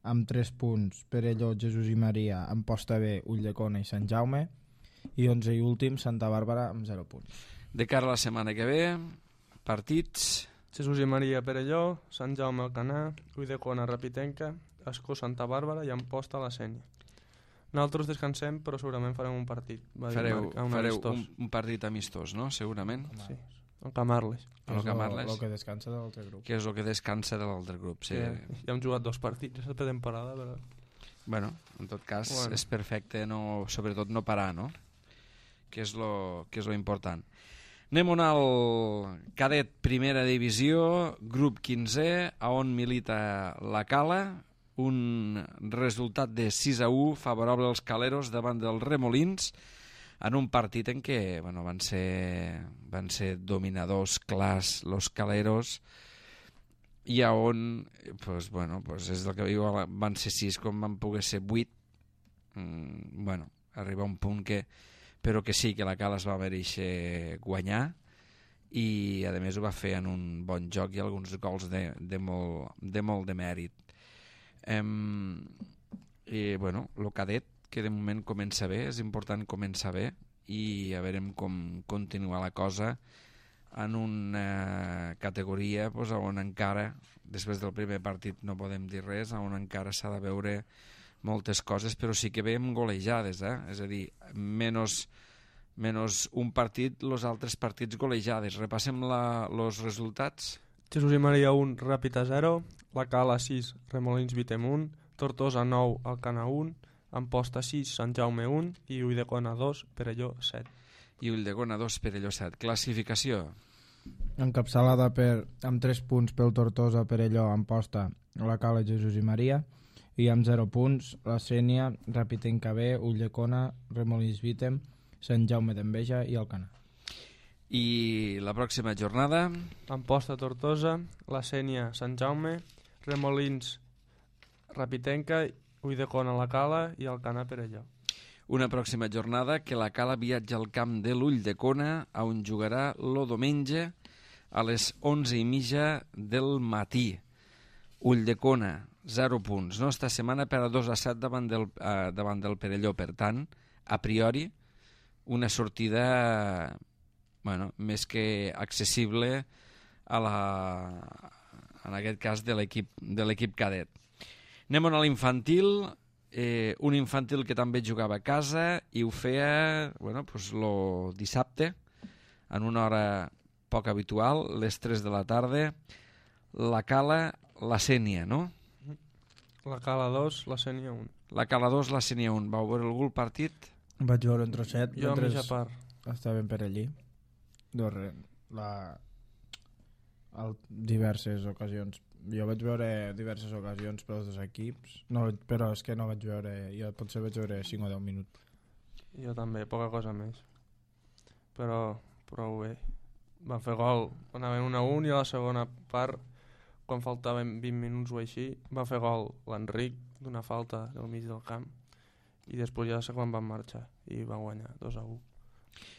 amb 3 punts Perelló, Jesús i Maria, Amposta B, Ulldecona i Sant Jaume, i 11 i últim Santa Bàrbara amb 0 punts. De cara a la setmana que ve, partits... Jesús i Maria, Perelló, Sant Jaume, Alcanar, Ulldecona, Rapitenca, Ascó, Santa Bàrbara i Amposta, la Sénia. Nosaltres descansem, però segurament farem un partit. Fareu un partit amistós, no? Segurament. Sí, el Camarles. El que descansa de l'altre grup. Que és el que descansa de l'altre grup. Sí. Ja hem jugat 2 partits aquesta temporada, però... Bueno, en tot cas és perfecte, sobretot no parar, no? Que és lo important. Anem al cadet primera divisió, grup 15è, a on milita la Cala, un resultat de 6-1 favorable als caleros davant dels remolins en un partit en què van ser dominadors clars los caleros i a on és el que diu, van ser 6 com van poder ser 8. Arriba un punt però que sí, que la Cala es va mereixer guanyar i a més ho va fer en un bon joc i alguns gols de molt de mèrit. I el cadet, que de moment comença bé, és important començar bé i a veure com continua la cosa en una categoria on encara, després del primer partit no podem dir res, on encara s'ha de veure moltes coses, però sí que veiem golejades, és a dir, menys un partit, els altres partits golejades. Repassem els resultats. Jesús i Maria 1, Ràpid 0, la Cala 6, Remolins Vitem 1, Tortosa 9, Alcanar 1, Amposta 6, Sant Jaume 1 i Ulldecona 2, Perelló 7. I Ulldecona 2, Perelló 7. Classificació. Encapçalada amb 3 punts pel Tortosa, Perelló, Amposta, la Cala, Jesús i Maria, i amb 0 punts la Sénia, Ràpid B, Ulldecona, Remolins Vitem, Sant Jaume d'Enveja i Alcanar. I la pròxima jornada? Amposta Tortosa, la Sénia Sant Jaume, Remolins Rapitenca, Ulldecona la Cala i Alcanar Perelló. Una pròxima jornada que la Cala viatja al camp de l'Ulldecona, on jugarà el diumenge a les 11:30 del matí. Ulldecona, 0 punts. No? Esta setmana per a 2-7 davant del Perelló. Per tant, a priori, una sortida més que accessible en aquest cas de l'equip cadet. Anem a l'infantil, un infantil que també jugava a casa i ho feia el dissabte en una hora poc habitual, les 3 de la tarda. La Cala, la Sénia, no? La Cala 2, la Sénia 1. La Cala 2, la Sénia 1. Vau veure algú el partit? Vaig veure un trosset. Jo a mitja part. Estàvem per allí. Diverses ocasions. Jo vaig veure diverses ocasions per als dos equips, però és que no vaig veure, jo potser vaig veure 5 o 10 minuts. Jo també, poca cosa més. Però prou bé. Van fer gol, anaven 1-1 i a la segona part, quan faltaven 20 minuts o així, va fer gol l'Enric d'una falta del mig del camp i després ja sé quan van marxar i van guanyar 2-1.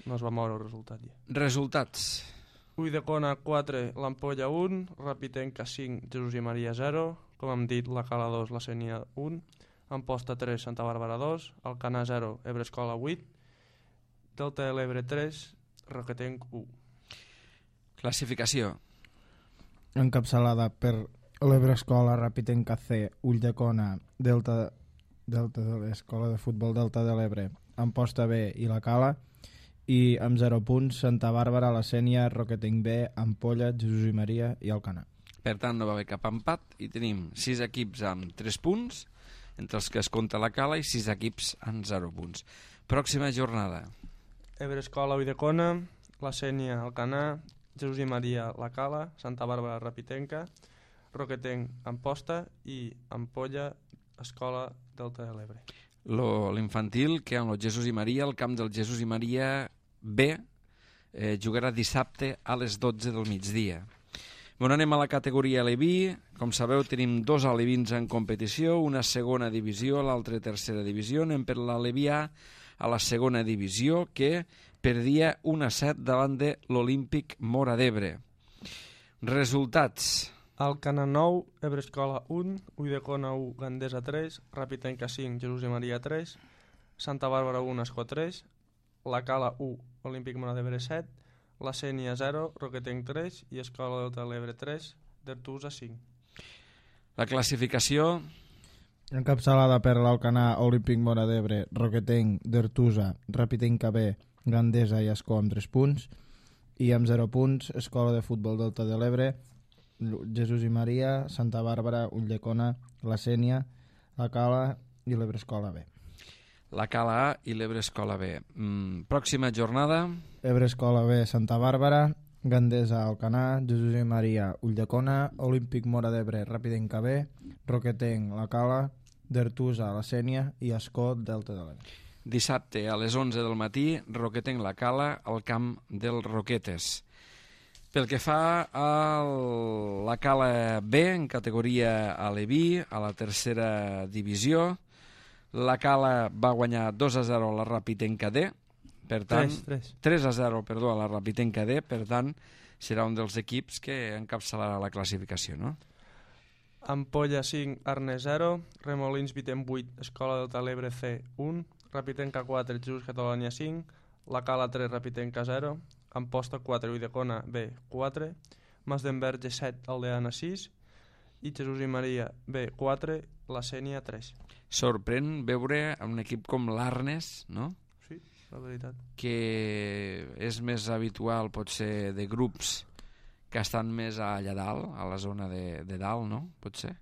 No es va moure el resultat ja. Resultats. Ulldecona 4, l'Ampolla 1, Rapitenca 5, Jesús i Maria 0, com hem dit, la Cala 2, la Sénia 1, Amposta 3, Santa Bàrbara 2, Alcanar 0, Ebre Escola 8, Delta de l'Ebre 3, Roquetenc 1. Classificació. Encapçalada per l'Ebre Escola, Rapitenca C, Ulldecona, Delta de l'Escola de Futbol Delta de l'Ebre, Amposta B i la Cala, i amb 0 punts Santa Bàrbara, la Sénia, Roquetenc B, Ampolla, Jesús i Maria i Alcanar. Per tant, no va haver cap empat i tenim 6 equips amb 3 punts, entre els que es compta la Cala, i 6 equips amb 0 punts. Pròxima jornada. Ebre Escola, Ulldecona, la Sénia, Alcanar, Jesús i Maria, la Cala, Santa Bàrbara, Rapitenca, Roquetenc, Amposta i Ampolla, Escola Delta de l'Ebre. L'infantil, que amb el Jesús i Maria, el camp del Jesús i Maria B, jugarà dissabte a les 12 del migdia. Bueno, anem a la categoria Aleví. Com sabeu, tenim 2 alevins en competició, una segona divisió, l'altra tercera divisió. Anem per l'Aleví A a la segona divisió, que perdia 1-7 davant de l'Olímpic Móra d'Ebre. Resultats. Alcanar 9, Ebre Escola 1, Ulldecona 1, Gandesa 3, Rapitenca 5, Jesús i Maria 3, Santa Bàrbara 1, Escó 3, la Cala 1, Olímpic Móra d'Ebre 7, la Sénia 0, Roquetenc 3 i Escola Delta de l'Ebre 3, d'Artusa 5. La classificació. Encapçalada per l'Alcanar, Olímpic Móra d'Ebre, Roquetenc, d'Artusa, Rapitenca B, Gandesa i Escó amb 3 punts, i amb 0 punts Escola de Futbol Delta de l'Ebre, Jesús i Maria, Santa Bàrbara, Ulldecona, la Sénia, la Cala i l'Ebre Escola B. La Cala A i l'Ebre Escola B. Pròxima jornada. Ebre Escola B, Santa Bàrbara, Gandesa, Alcanar, Jesús i Maria, Ulldecona, Olímpic Móra d'Ebre, Rapitenca B, Roquetenc, la Cala, d'Artusa, la Sénia i Escó, Delta de l'Ebre. Dissabte a les 11 del matí, Roquetenc, la Cala, al camp del Roquetes. Pel que fa a la Cala B, en categoria Aleví, a la tercera divisió, la Cala va guanyar 2-0 a la Rapitenca D, per tant, 3-0, perdó, a la Rapitenca D, per tant, serà un dels equips que encapçalarà la classificació, no? Ampolla 5, Arnes 0, Remolins Vitem 8, Escola Delta de l'Ebre C 1, Rapitenca 4, Jesús Catalunya 5, la Cala 3, Rapitenca 0, Amposta 4, Ulldecona B 4, Mas d'Enverge 7, Aldeana 6 i Jesús i Maria B 4 la Sénia 3. Sorprèn veure un equip com l'Arnes, no? Sí, la veritat. Que és més habitual potser de grups que estan més allà dalt, a la zona de dalt, no? Potser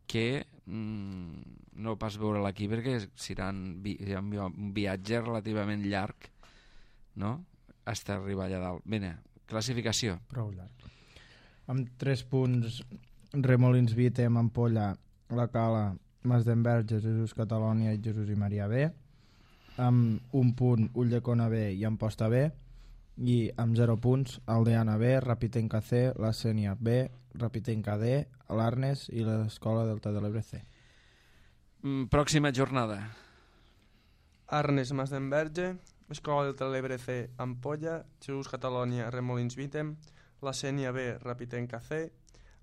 que no pas veure aquí perquè serà un viatge relativament llarg, no? Fins a arribar allà dalt. Bene, classificació. Prou llarg. Amb 3 punts, Remolins Vítem, Ampolla, La Cala, Masdenverge, Jesús Catalònia i Jesús i Maria B. Amb 1 punt, Ulldecona B i Amposta B. I amb 0 punts, Aldeana B, Rapitenca C, La Sénia B, Rapitenca D, l'Arnes i l'Escola Delta de l'Ebre C. Pròxima jornada. Arnes, Masdenverge, Escola Delta de l'Ebre C, Ampolla, Jesús Catalònia, Remolins Vítem, La Sénia B, Rapitenca C,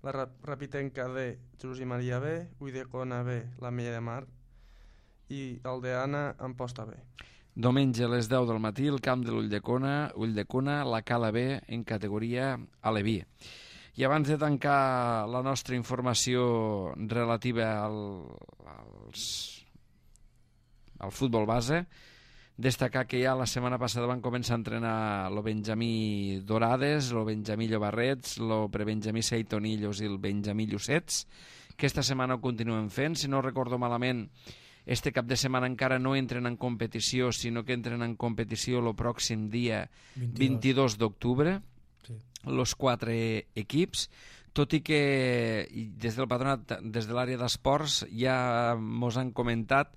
la Rapitenca D, Jesús i Maria B, Ulldecona B, la Mella de Mar i Aldeana, Amposta B. Diumenge a les 10 del matí, el camp de l'Ulldecona, la Cala B en categoria Aleví. I abans de tancar la nostra informació relativa al futbol base, destacar que ja la setmana passada van començar a entrenar el Benjamí Dorades, el Benjamí Llobarrets, el prebenjamí Seitonillos i el Benjamí Llucets, que esta setmana ho continuen fent. Si no recordo malament, este cap de setmana encara no entren en competició, sinó que entren en competició el pròxim dia 22 d'octubre, sí. Los 4 equips, tot i que des del patronat, des de l'àrea d'esports, ja mos han comentat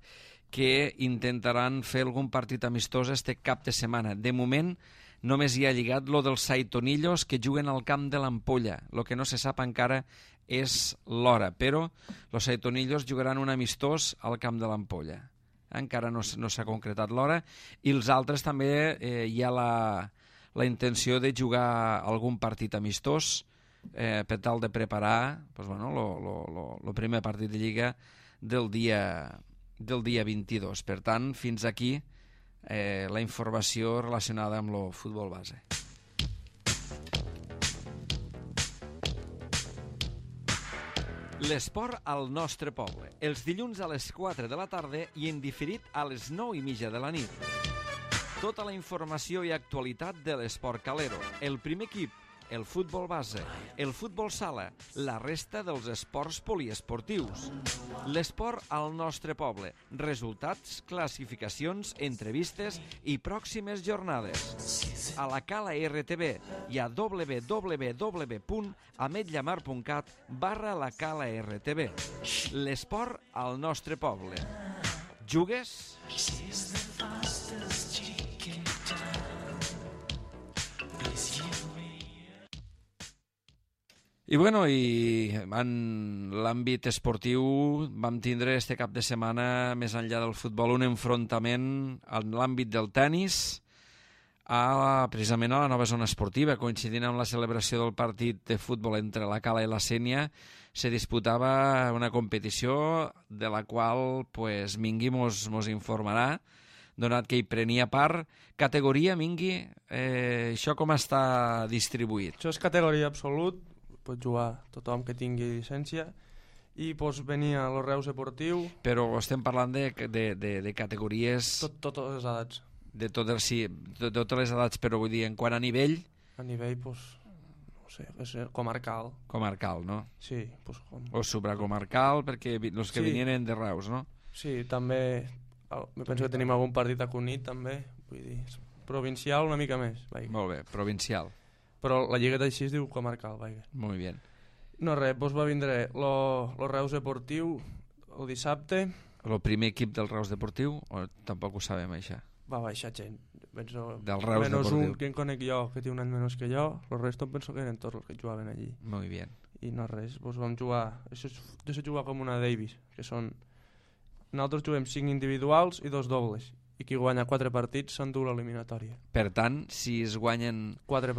que intentaran fer algun partit amistós este cap de setmana. De moment només hi ha lligat lo dels Saitonillos, que juguen al camp de l'Ampolla. Lo que no se sap encara és l'hora, però los Saitonillos jugaran un amistós al camp de l'Ampolla. Encara no s'ha concretat l'hora, i els altres també hi ha la intenció de jugar algun partit amistós per tal de preparar pues, bueno, lo primer partit de Lliga del dia 22. Per tant, fins aquí la informació relacionada amb el futbol base. L'esport al nostre poble, els dilluns a les 4 de la tarda i en diferit a les 9:30 de la nit. Tota la informació i actualitat de l'esport calero, el primer equip, el futbol base, el futbol sala, la resta dels esports poliesportius. L'esport al nostre poble, resultats, classificacions, entrevistes i pròximes jornades. A la Cala RTV i a www.ametllamar.cat/la Cala RTV. L'esport al nostre poble. Jugues? I bueno, i en l'àmbit esportiu vam tindre este cap de setmana, més enllà del futbol, un enfrontament en l'àmbit del tennis precisament a la nova zona esportiva. Coincidint amb la celebració del partit de futbol entre la Cala i la Sénia, se disputava una competició de la qual pues, Mingui mos informarà, donat que hi prenia part. Categoria, Mingui, això com està distribuït? Això és categoria absolut, pot jugar tothom que tingui llicència, i pues, venia a los Reus Esportiu. Però estem parlant de categories... Totes les edats. De totes les edats, però vull dir, en quant a nivell... A nivell, pues, no sé, comarcal. Comarcal, no? Sí. Pues, o supracomarcal, perquè els que venien de Reus, no? Sí, també... penso que tenim algun partit a Cunit, també. Vull dir, provincial una mica més. Vaig. Molt bé, provincial. Però la lliga d'així es diu comarcal, vaja. Molt bé. No res, doncs va vindre lo Reus Deportiu el dissabte. El primer equip del Reus Deportiu, o tampoc ho sabem, això? Va baixar gent. Penso, del Reus menos Deportiu. Un que en conec jo, que té un any menys que jo, el resto penso que eren tots els que jugaven allí. Molt bé. I no res, doncs vam jugar, jo sé jugar com una Davis, que són... Nosaltres juguem 5 individuals i 2 dobles. I qui guanya 4 partits s'endú l'eliminatòria. Per tant, si es guanyen 4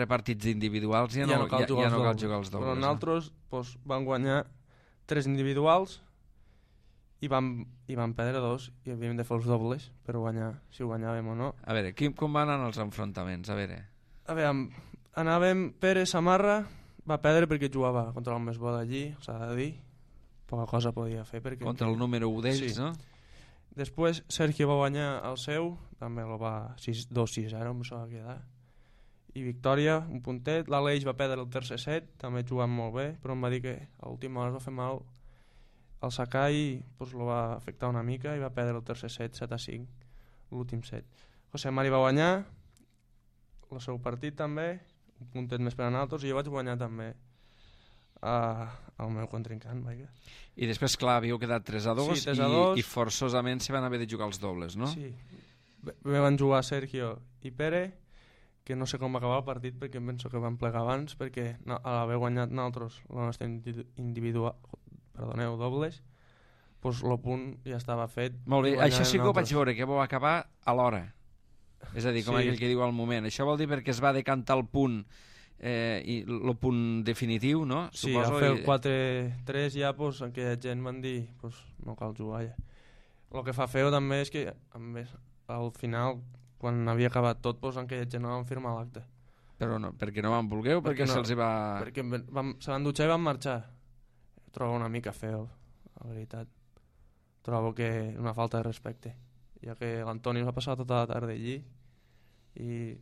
partits individuals ja no cal jugar els dobles. Però nosaltres doncs, vam guanyar 3 individuals i vam perdre 2 i havíem de fer els dobles per guanyar, si ho guanyàvem o no. A veure, com van anar els enfrontaments? A veure, anàvem Pere Samarra, va perdre perquè jugava contra el més bo d'allí, s'ha de dir. poca cosa podia fer. Perquè contra el número 1 d'ells, sí. no? Després Sergio va guanyar el seu, també el va 2-6-0, em sembla que quedar. I victòria, un puntet. L'Aleix va perdre el tercer set, també jugant molt bé, però em va dir que a l'última hora es va fer mal el Sakai, pues, lo va afectar una mica i va perdre el tercer set, 7-5, l'últim set. José Mari va guanyar el seu partit també, un puntet més per a nosaltres, i jo vaig guanyar també al meu contrincant. Vaja. I després, clar, havíeu quedat 3-2, Sí, 3-2. i forçosament se van haver de jugar els dobles, no? Sí, van jugar Sergio i Pere, que no sé com va acabar el partit perquè em penso que van plegar abans, perquè a l'haver guanyat nosaltres la nostra individual, dobles, doncs el punt ja estava fet. Molt bé, això sí que ho vaig nosaltres. veure, que vau acabar a l'hora. És a dir, com Sí. aquell que diu al moment. Això vol dir perquè es va decantar el punt, i el punt definitiu, no? Sí, Suposo, al fer el 4-3 ja, doncs, aquella gent van dir doncs, no cal jugar ja. El que fa feo també és que a més, al final, quan havia acabat tot, doncs, aquella gent no van firmar l'acte. Però no, perquè no van voler o perquè no, se'ls hi va... Perquè se van dutxar i van marxar. Trobo una mica feo, la veritat. Trobo que una falta de respecte, ja que l'Antoni va passar tota la tarda allí i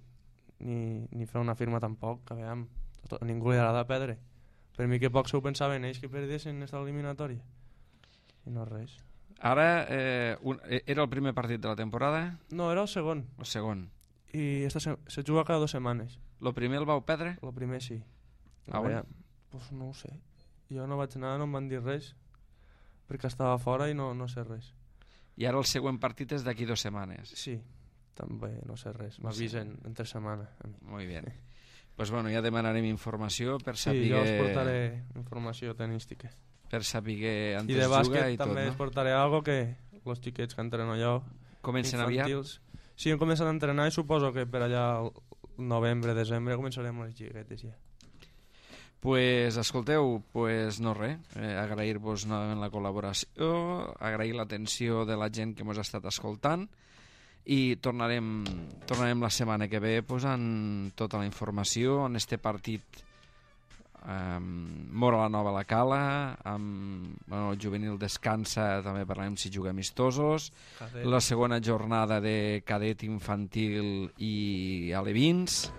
ni fer una firma tampoc, que veiem, a ningú li agrada perdre. Per mi que poc s'ho pensaven ells que perdessin aquesta eliminatòria. I no res. Ara, era el primer partit de la temporada? No, era el segon. El segon. I se juga cada 2 setmanes. El primer el vau perdre? El primer sí. Ah, bueno. Pues no ho sé. Jo no vaig anar, no em van dir res, perquè estava fora i no sé res. I ara el següent partit és d'aquí 2 setmanes. Sí, també no sé res. M'avisen entre setmana. Molt bé. Pues bueno, ja demanarem informació per Sí, saber... jo us portaré informació tenística. Per saber on I es de juga bàsquet i tot, també no? us portaré algo que els xiquets que entreno jo, Comencen aviat? infantils, sí, hem començat a entrenar i suposo que per allà al novembre, desembre començarem les xiquetes ja. Pues escolteu, pues no res, agrair-vos novament la col·laboració, agrair l'atenció de la gent que ens ha estat escoltant i tornarem la setmana que ve posant tota la informació en este partit Mora la Nova a la Cala, el juvenil descansa, també parlarem si juga amistosos, Cadet. la segona jornada de cadet infantil i alevins,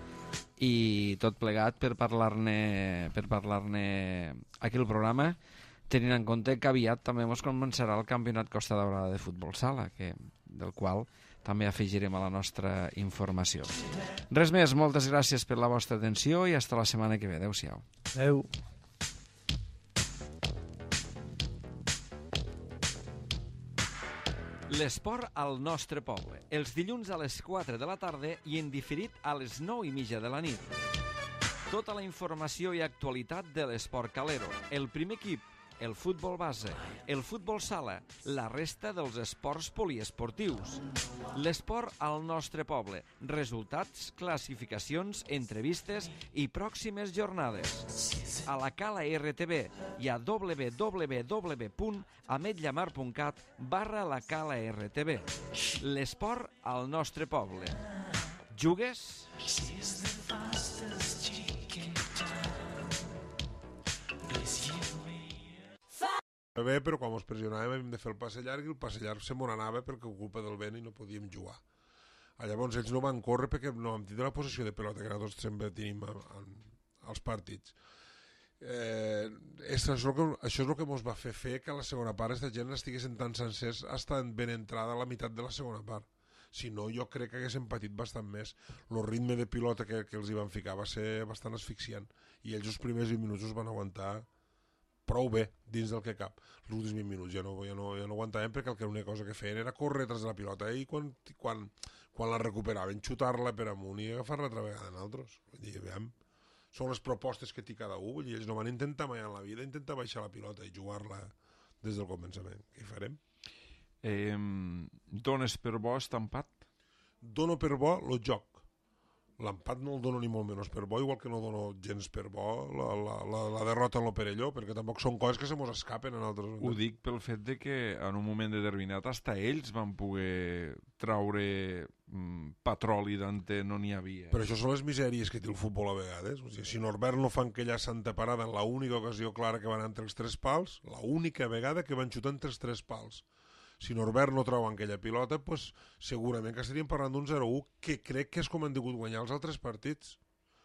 i tot plegat per parlar-ne aquí al programa, tenint en compte que aviat també ens començarà el Campionat Costa Daurada de Futbol Sala, del qual també afegirem a la nostra informació. Res més, moltes gràcies per la vostra atenció i fins la setmana que ve. Adéu-siau. Adéu. L'esport al nostre poble. Els dilluns a les 4 de la tarda i en diferit a les 9:30 de la nit. Tota la informació i actualitat de l'esport calero. El primer equip, el futbol base, el futbol sala, la resta dels esports poliesportius. L'esport al nostre poble. Resultats, classificacions, entrevistes i pròximes jornades. A la Cala RTV i a www.ametlllamar.cat/la Cala RTV. L'esport al nostre poble. Jugues? Bé, però quan ens pressionàvem hem de fer el passe llarg i el passe llarg se m'on anava perquè culpa del vent i no podíem jugar. Llavors ells no van córrer perquè no vam tindre la possessió de pelota que nosaltres sempre tenim als partits. Això és el que ens va fer que a la segona part aquesta gent estiguessin tan sencers estan ben entrada a la meitat de la segona part. Si no, jo crec que haguessin patit bastant més. El ritme de pilota que els hi van ficar va ser bastant asfixiant i ells els primers 20 minuts els van aguantar prou bé dins del que cap. Els últims 20 minuts ja no aguantàvem perquè l'única cosa que feien era córrer tras de la pilota i quan la recuperaven xutar-la per amunt i agafar-la altra vegada en altres. Vull dir, veiem, són les propostes que té cada un, vull dir, ells no van intentar mai en la vida intentar baixar la pilota i jugar-la des del començament. Què hi farem? Dones per bo estampat? Dono per bo el joc. L'empat no el dono ni molt menys per bo, igual que no dono gens per bo la derrota en lo Perelló, perquè tampoc són coses que se mos escapen en altres moments. Ho dic pel fet de que en un moment determinat hasta ells van poder traure patroli d'ante no n'hi havia. Però això són les misèries que té el futbol a vegades. O sigui, si Norbert no fa aquella santa parada en l'única ocasió clara que van entre els 3 pals, l'única vegada que van xutar entre els 3 pals, si Norbert no treu aquella pilota, pues, segurament que estaríem parlant d'un 0-1 que crec que és com han degut guanyar els altres partits,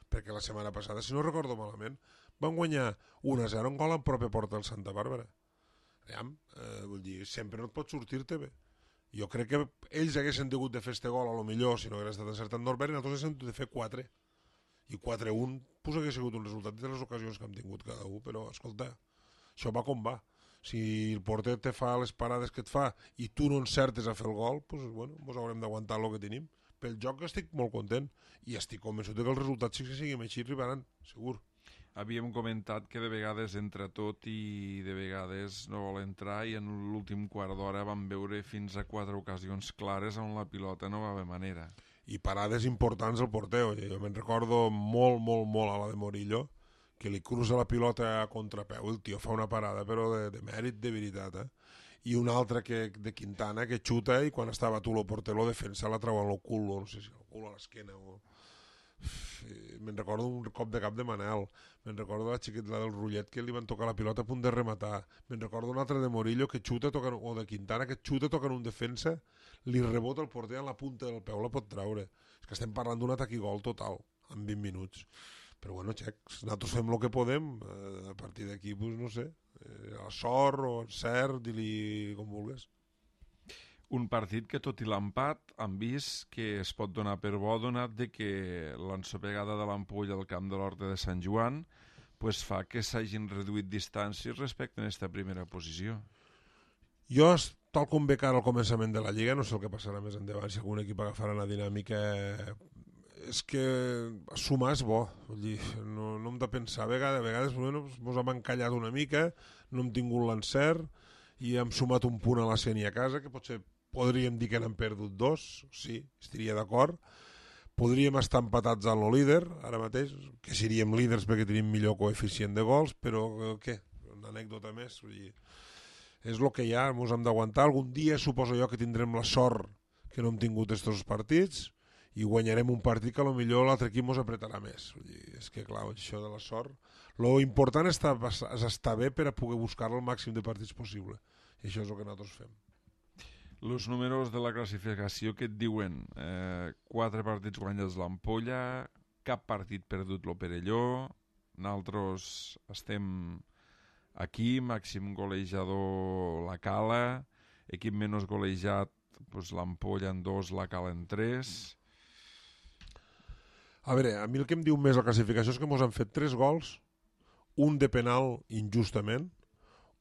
perquè la setmana passada, si no recordo malament, van guanyar 1-0 en gol en pròpia porta del Santa Bàrbara. Vull dir, sempre no et pot sortir-te bé. Jo crec que ells haguessin degut de fer este gol, a lo millor, si no hagués estat encertat Norbert, i nosaltres haguéssim de fer 4. I 4-1 pues, hagués sigut un resultat de les ocasions que hem tingut cada un, però, escolta, això va com va. Si el porter te fa les parades que et fa i tu no encertes a fer el gol, pues, bueno, mos haurem d'aguantar el que tenim. Pel joc estic molt content i estic convençut que els resultats, si seguim així, arribaran, segur. Havíem comentat que de vegades entra tot i de vegades no vol entrar, i en l'últim quart d'hora vam veure fins a 4 ocasions clares on la pilota no va haver manera. I parades importants al porter. Jo me'n recordo molt, molt, molt a la de Morillo, que li cruza la pilota a contrapeu, el tio fa una parada però de mèrit de veritat, i una altra de Quintana que xuta i quan estava tu el porter lo defensa la treu al cul, no sé si al cul a l'esquena o... Me'n recordo un cop de cap de Manel, me'n recordo la xiqueta del Rullet que li van tocar la pilota a punt de rematar, me'n recordo un altre de Morillo que xuta o de Quintana que xuta toca en un defensa, li rebota el porter en la punta del peu, la pot treure. És que estem parlant d'un atac i gol total en 20 minuts, però bueno, xecs, nosaltres fem el que podem, a partir d'aquí, pues, no sé, a sort o encert, di-li com vulguis. Un partit que, tot i l'empat, han vist que es pot donar per bo, donat de que l'ensopegada de l'Ampolla al camp de l'Horta de Sant Joan pues fa que s'hagin reduït distàncies respecte a aquesta primera posició. Jo, tal com ve cara al començament de la Lliga, no sé el que passarà més endavant, si algun equip agafarà una dinàmica... És que sumar és bo, vull dir, no hem de pensar, a vegades bueno, mos hem encallat una mica, no hem tingut l'encert i hem sumat un punt a la Sénia a casa, que potser podríem dir que n'hem perdut 2, sí, estaria d'acord. Podríem estar empatats amb el líder, ara mateix, que seríem líders perquè tenim millor coeficient de gols, però què? Una anècdota més, vull dir, és el que hi ha, ens hem d'aguantar. Algun dia suposo jo que tindrem la sort que no hem tingut aquests partits i guanyarem un partit que potser l'altre equip ens apretarà més. Vull dir, és que clar, això de la sort, lo important és estar bé per a poder buscar el màxim de partits possible, i això és el que nosaltres fem. Els números de la classificació que et diuen 4 partits guanyats l'Ampolla, cap partit perdut lo Perelló, nosaltres estem aquí, màxim golejador la Cala, equip menys golejat pues, l'Ampolla en 2, la Cala en 3. A veure, a mi el que em diu més la classificació és que ens han fet 3 gols, un de penal injustament,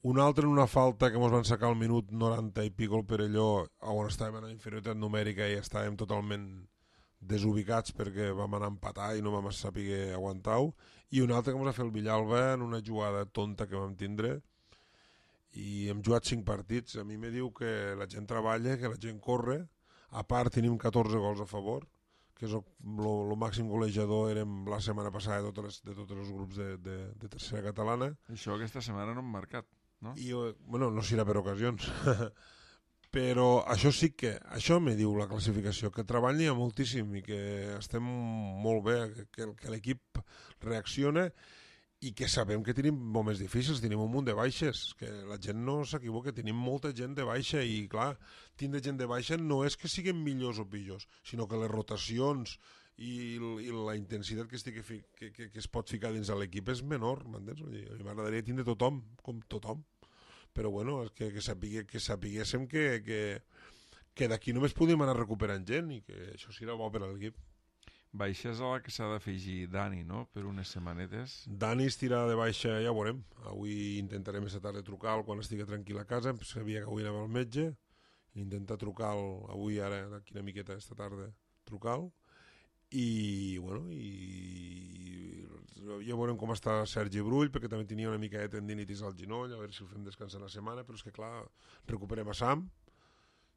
un altre en una falta que ens van sacar al minut 90 i pico el Perelló, on estàvem en inferioritat numèrica i estàvem totalment desubicats perquè vam anar a empatar i no vam saber aguantar-ho, i un altre que ens va fer el Villalba en una jugada tonta que vam tindre, i hem jugat 5 partits. A mi me diu que la gent treballa, que la gent corre, a part tenim 14 gols a favor, que és el màxim golejador érem la setmana passada de tots els grups de tercera catalana. Això aquesta setmana no hem marcat, no? I, bueno, no serà per ocasions. Però això sí que, això me diu la classificació, que treball n'hi ha moltíssim i que estem molt bé, que l'equip reacciona i que sabem que tenim moments difícils, tenim un munt de baixes, que la gent no s'equivoca, tenim molta gent de baixa i clar, tindre gent de baixa no és que siguin millors o pitjors, sinó que les rotacions i la intensitat que es pot ficar dins de l'equip és menor, m'entens? A mi m'agradaria tindre tothom, com tothom, però bueno, és que sapiguéssim que d'aquí només podem anar recuperant gent i que això serà bo per a l'equip. Baixes a la que s'ha d'afegir Dani, no?, per unes setmanetes. Dani estirà de baixa, ja ho veurem. Avui intentarem aquesta tarda trucar-lo quan estigui tranquil a casa. Em sabia que avui anava al metge. Intentar trucar-lo avui, ara, d'aquí una miqueta, aquesta tarda, trucar-lo. I, bueno, ja veurem com està Sergi Brull, perquè també tenia una mica de tendinitis al genoll, a veure si el fem descansar la setmana, però és que, clar, recuperem a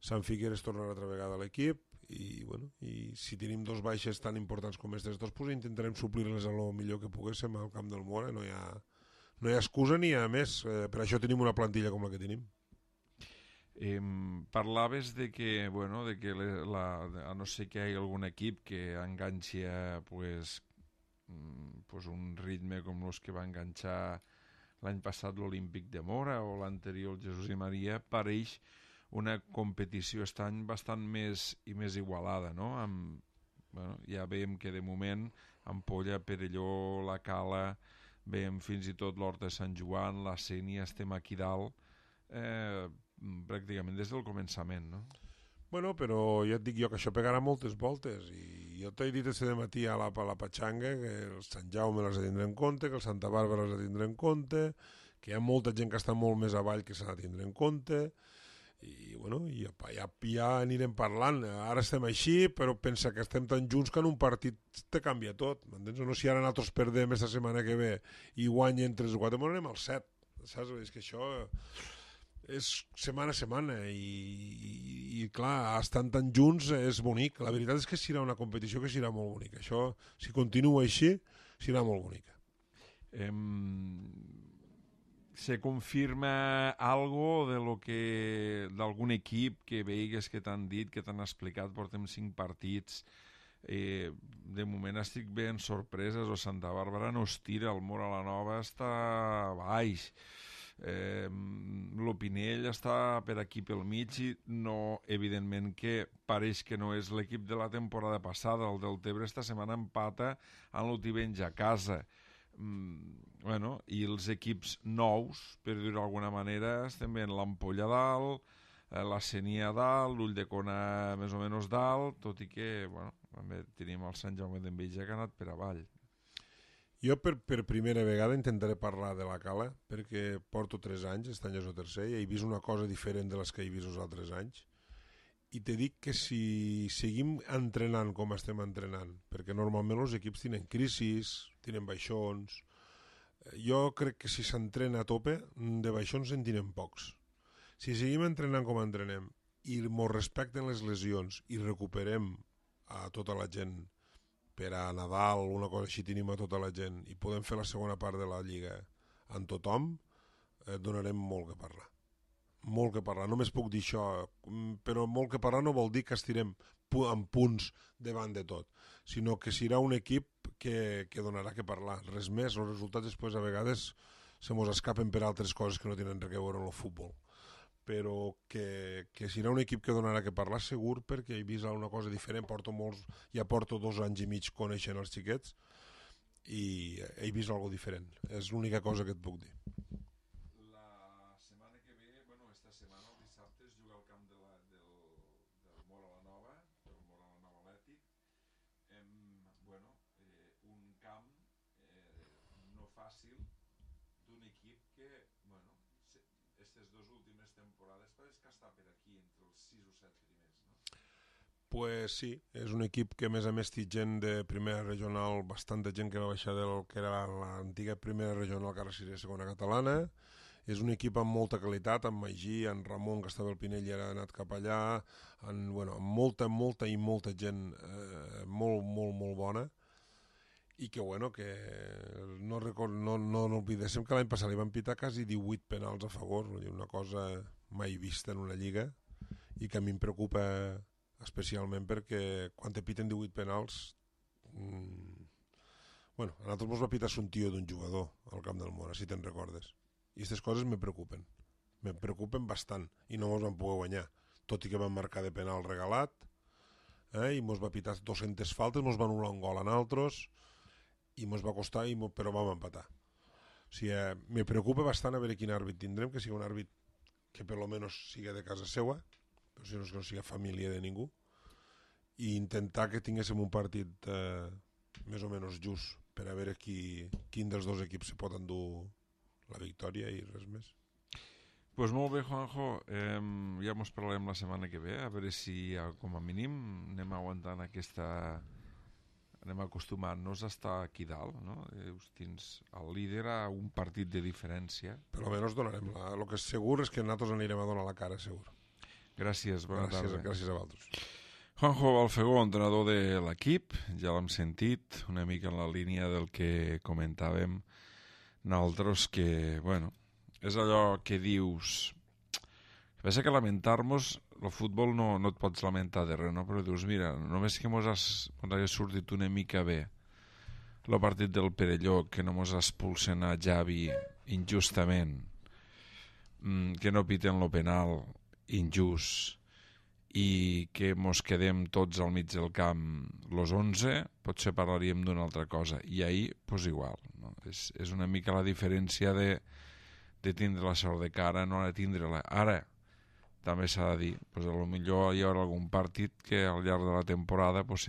Sam Figueres tornarà altra vegada a l'equip i, bueno, i si tenim 2 baixes tan importants com aquestes 2, pues intentarem suplir-les a lo millor que poguéssim al camp del Mora. No hi ha excusa ni a més, per això tenim una plantilla com la que tenim. Parlaves de que, bueno, a no ser que hi hagi algun equip que enganxi pues un ritme com els que va enganxar l'any passat l'Olímpic de Mora o l'anterior el Jesús i Maria, pareix una competició aquest any bastant més igualada, no? Ja veiem que de moment Ampolla, Perelló, la Cala, veiem fins i tot l'Horta de Sant Joan, la Sénia, estem aquí dalt pràcticament des del començament, no? Bueno, però ja et dic jo que això pegarà moltes voltes i jo t'he dit aquest matí a la Patxanga que el Sant Jaume les ha de tindre en compte, que el Santa Bàrbara les ha de tindre en compte, que hi ha molta gent que està molt més avall que s'ha de tindre en compte i bueno, ja anirem parlant. Ara estem així, però pensa que estem tan junts que en un partit te canvia tot, m'entens? No si ara nosaltres perdem aquesta setmana que ve i guanyen 3 o 4, anem al 7, saps? És que això és setmana a setmana i clar, estan tan junts és bonic. La veritat és que serà una competició que serà molt bonica. Això, si continua així, serà molt bonica. Se confirma algo d'algun equip que veigues que t'han dit, que t'han explicat, portem 5 partits, de moment estic ben sorpreses, o Santa Bàrbara no es tira, el Mora la Nova està baix, l'Opinell està per aquí pel mig i no, evidentment que pareix que no és l'equip de la temporada passada. El del Tebre esta setmana empata amb l'Otivenys a casa. Bueno, i els equips nous, per dir-ho d'alguna manera, estem veient l'Ampolla dalt, la Sénia dalt, l'Ulldecona més o menys dalt, tot i que bueno, també tenim el Sant Jaume d'Enveja que ha anat per avall. Jo per primera vegada intentaré parlar de la Cala perquè porto 3 anys, aquest any és el tercer, i he vist una cosa diferent de les que he vist els altres anys. I te dic que si seguim entrenant com estem entrenant, perquè normalment els equips tenen crisis, tenen baixons, jo crec que si s'entrena a tope, de baixons en tenen pocs. Si seguim entrenant com entrenem i mos respecten les lesions i recuperem a tota la gent per a Nadal, una cosa així, tenim a tota la gent i podem fer la segona part de la Lliga amb tothom, donarem molt que parlar. Molt que parlar, només puc dir això, però molt que parlar no vol dir que estirem en punts davant de tot, sinó que serà un equip que donarà que parlar, res més. Els resultats després a vegades se mos escapen per altres coses que no tenen res a veure amb el futbol, però que serà un equip que donarà que parlar segur, perquè he vist una cosa diferent, ja porto 2 anys i mig coneixent els xiquets i he vist alguna diferent, és l'única cosa que et puc dir. La setmana que ve, esta setmana, el dissabte, es juga al camp del Mora la Nova, del Mora la Nova Atlètic, un camp no fàcil d'un equip que, aquestes 2 últimes temporades pareix que està per aquí, entre els 6 o 7 primers, no? Pues sí, és un equip que a més té gent de primera regional, bastanta gent que va baixar del que era l'antiga primera regional, que ara seria segona catalana. És un equip amb molta qualitat, amb Magí, amb Ramon, que estava al Pinell i ara ha anat cap allà, amb molta gent molt bona, i que no oblidéssim que l'any passat li van pitar quasi 18 penals a favor, una cosa mai vista en una lliga, i que a mi em preocupa especialment perquè quan te piten 18 penals a nosaltres ens va pitar un tio d'un jugador al camp del Mora, si te'n recordes, i aquestes coses me preocupen bastant, i no ens van poder guanyar, tot i que van marcar de penal regalat, i ens va pitar 200 faltes, ens van anul·lar un gol a nosaltres i ens va costar, però vam empatar. O sigui, me preocupa bastant a veure quin àrbit tindrem, que sigui un àrbit que per lo menos siga de casa seua, però si no és que no siga família de ningú, i intentar que tinguéssim un partit més o menys just per a veure quin dels 2 equips se pot endur la victòria i res més. Pues molt bé, Juanjo, ja mos parlarem la setmana que ve, a veure si com a mínim anem aguantant anem acostumant-nos a estar aquí dalt, no? Tens el líder a un partit de diferència. Per almenys donarem el que és segur és que nosaltres anirem a donar la cara, segur. Gràcies, bona tarda. Gràcies a vosaltres. Juanjo Balfegó, entrenador de l'equip, ja l'hem sentit, una mica en la línia del que comentàvem nosaltres, que, és allò que dius, Pensa que lamentar-nos, el futbol no et pots lamentar de res, no? Però dius, mira, només que mos hagués sortit una mica bé el partit del Perelló, que no mos expulsen a Javi injustament, que no piten lo penal injust, i que mos quedem tots al mig del camp los 11, potser parlaríem d'una altra cosa. I ahir, pues igual, no? És una mica la diferència de tindre la sort de cara, no de tindre-la. Ara, també s'ha de dir, pues, potser hi haurà algun partit que al llarg de la temporada pues,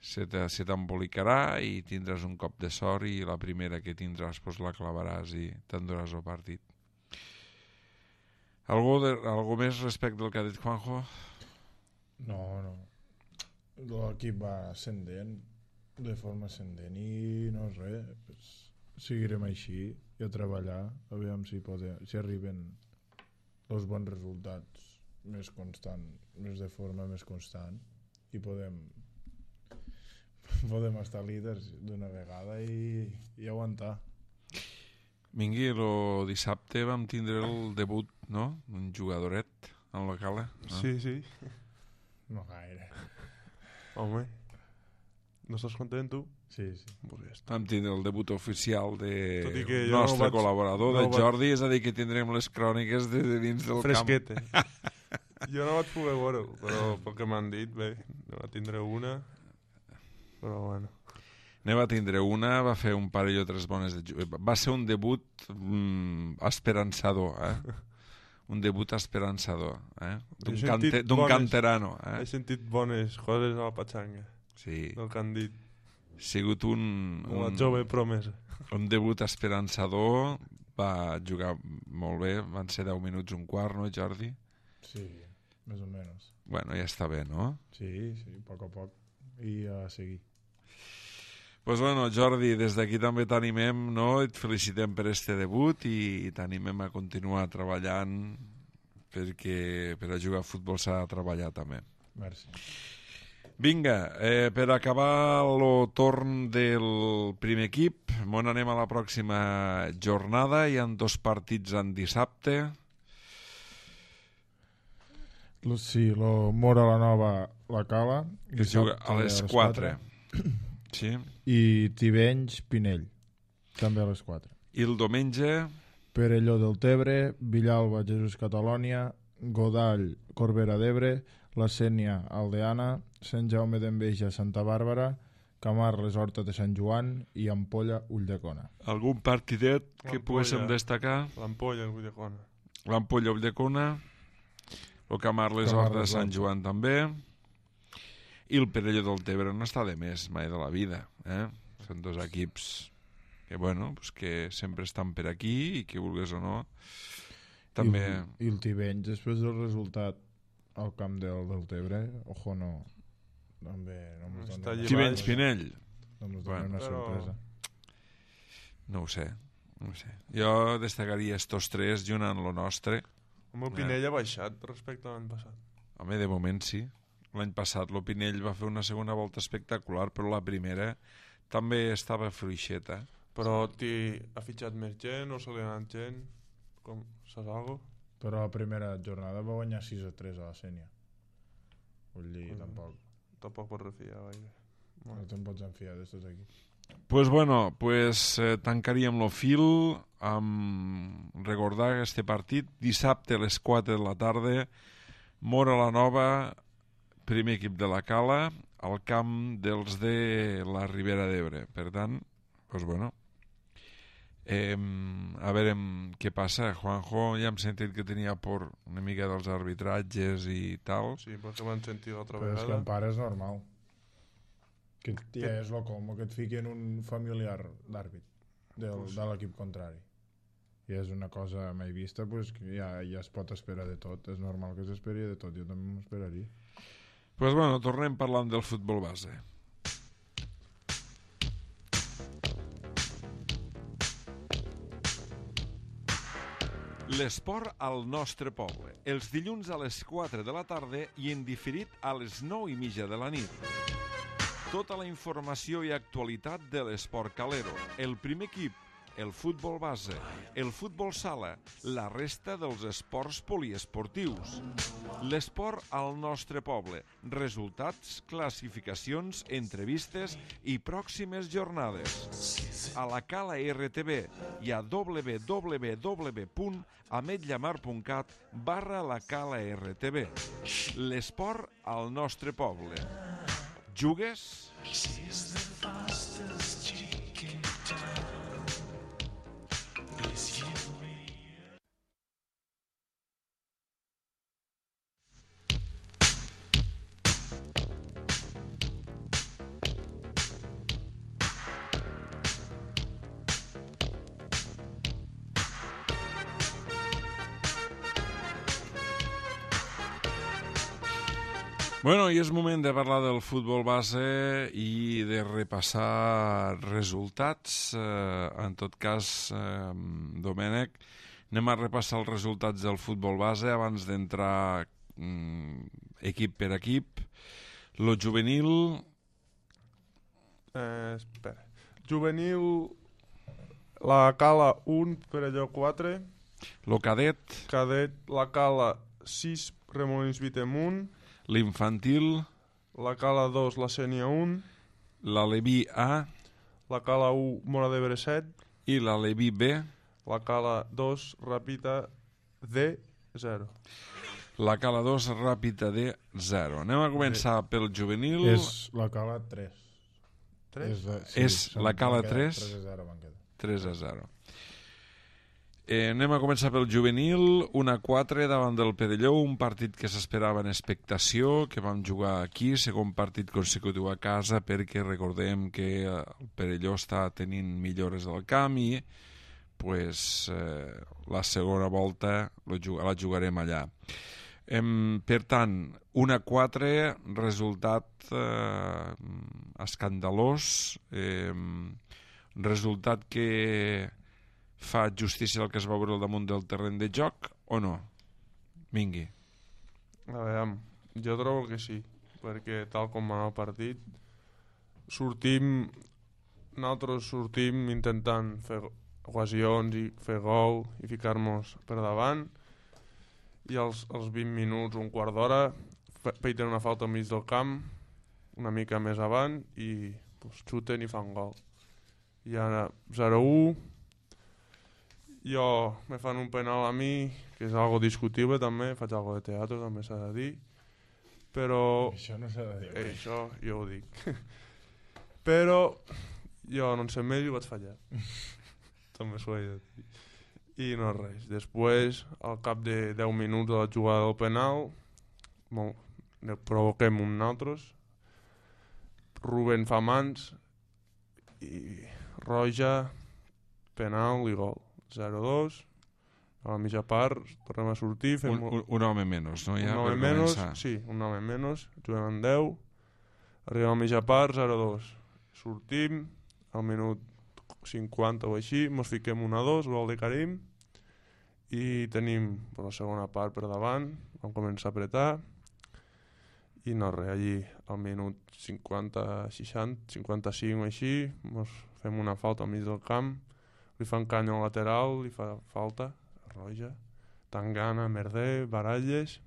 se t'embolicarà i tindràs un cop de sort i la primera que tindràs pues, la clavaràs i t'enduràs el partit. Algú més respecte al que ha dit Juanjo? No. L'equip va ascendent, de forma ascendent, i no és res, pues, seguirem així i a treballar, a veure si arriben els bons resultats més de forma més constant, i podem estar líders d'una vegada i aguantar. Mingui, el dissabte vam tindre el debut, no?, un jugadoret en la cala. No? Sí. No gaire. Home, no estàs content, tu? Sí. Vam tindre el debut oficial Tot i que del jo nostre no vaig- col·laborador, no de vaig- Jordi, és a dir, que tindrem les cròniques de dins del Fresquete. Jo no vaig poder veure-ho, però pel que m'han dit, bé, no va tindre una, però bueno. Ne va tindre una, va fer un parell o tres bones va ser un debut esperançador, un debut esperançador, d'un canterano. He sentit bones coses a la patxanga, Sí, del que han dit, ha sigut la jove promesa. un debut esperançador, va jugar molt bé, van ser 10 minuts un quart, no, Jordi? Sí, més o menys. Bueno, ja està bé, no? Sí, a poc, i a seguir. Pues bueno, Jordi, des d'aquí també t'animem, no? Et felicitem per este debut i t'animem a continuar treballant, perquè per a jugar a futbol s'ha de treballar també. Merci. Vinga, per acabar el torn del primer equip, on anem a la pròxima jornada. Hi ha 2 partits en dissabte. Sí, lo Mora la Nova, la Cala, Que es juga a les 4. Sí. I Tivenys, Pinell, també a les 4. I el diumenge, Perelló del Tebre, Villalba, Jesús Catalònia, Godall, Corbera d'Ebre, La Sénia, Aldeana, Sant Jaume d'Enveja, Santa Bàrbara, Camarles, Horta de Sant Joan i Ampolla, Ulldecona. algun partidet que L'Ampolla. poguéssim destacar? L'ampolla, el Ulldecona. L'Ampolla Ulldecona, el Camarles Horta de Sant Joan també, i el Perelló del Tebre no està de més mai de la vida. Són 2 equips que, bueno, pues que sempre estan per aquí i que vulgues o no també... I el Tivenys, després del resultat al camp del Tebre, ojo, no... També no mos Està dona llevat. Tivenys Pinell, no mos Bueno, dona una però- sorpresa. no ho sé. Jo destacaria estos 3 junt amb lo nostre. El meu Pinell ha baixat respecte a l'any passat. Home, de moment sí. L'any passat lo Pinell va fer una segona volta espectacular, però la primera també estava fluixeta. Però ha fitxat més gent o se li ha anat gent? Com, saps alguna cosa? Però la primera jornada va guanyar 6-3 a la Sénia. Vull dir, Tampoc pots refiar gaire. no te'n pots enfiar d'estos aquí. Pues bueno, tancaríem lo fil amb recordar este partit dissabte a les 4 de la tarda, Mora la Nova, primer equip de la Cala, al camp dels de la Ribera d'Ebre. Per tant, pues bueno, a veure què passa. Juanjo, ja hem sentit que tenia por una mica dels arbitratges i tal. Sí, perquè m'han sentit l'altra Però és que vegada. en pare és normal. Que ja és lo com que et fiquen un familiar d'àrbit de l'equip contrari. I és una cosa mai vista, pues, que ja es pot esperar de tot. És normal que s'esperi de tot. Jo també m'esperaria. Pues bueno, tornem parlant del futbol base. L'esport al nostre poble. Els dilluns a les 4 de la tarda i en diferit a les 9:30 de la nit. Tota la informació i actualitat de l'esport calero. El primer equip, el futbol base, el futbol sala, la resta dels esports poliesportius. L'esport al nostre poble, resultats, classificacions, entrevistes i pròximes jornades. A la Cala RTV i a www.ametllamar.cat/la Cala RTV. L'esport al nostre poble. Jugues? Bueno, i és moment de parlar del futbol base i de repassar resultats. En tot cas, Domènec, anem a repassar els resultats del futbol base abans d'entrar equip per equip. Lo juvenil... Espera. Juvenil, la Cala 1, Perelló 4. Lo cadet. Cadet, la Cala 6, Remolins Vitem 1. L'infantil. La Cala 2, la Sènia 1. L'Aleví A. La Cala 1, Mora d'Ebre 7. I l'Aleví B. La Cala 2, Ràpita D 0. La Cala 2, Ràpita D 0. Anem a començar pel juvenil. És la Cala 3. 3? És la Cala 3. 3-0 van quedar. 3-0. Anem a començar pel juvenil. 1-4 davant del Perelló, un partit que s'esperava en expectació, que vam jugar aquí, segon partit consecutiu a casa, perquè recordem que el Perelló està tenint millores del camp i pues, la segona volta la jugarem allà. Per tant, 1-4, resultat escandalós, resultat que fa justícia al que es va veure al damunt del terreny de joc o no? Vingui. A veure, jo trobo que sí, perquè tal com va anar el partit, nosaltres sortim intentant fer ocasions i fer gol i ficar-nos per davant, i als 20 minuts, un quart d'hora, feiten una falta al mig del camp, una mica més avant, i pues, xuten i fan gol. I ara 0-1, jo me fan un penal a mi, que és algo discutible també, faig algo de teatre també s'ha de dir, però... Això no s'ha de dir. Això jo ho dic. Però jo no en sé més i ho vaig fallar. També s'ho he de dir. I no res. Després, al cap de 10 minuts de la jugada del penal, ne provoquem un altres, Rubén fa mans i roja, penal i gol. 0-2, a la mitja part tornem a sortir, fem un home menys, no? Ja un home menys, sí, un home menys, juguem en 10, arribem a la mitja part, 0-2, sortim al minut 50 o així, mos fiquem 1-2, gol de Karim, i tenim la segona part per davant, vam començar a apretar, i no res, allí al minut 50, 60, 55 o així, mos fem una falta al mig del camp, li fan canya al lateral, li fa falta, roja, Tangana, Merder, Baralles,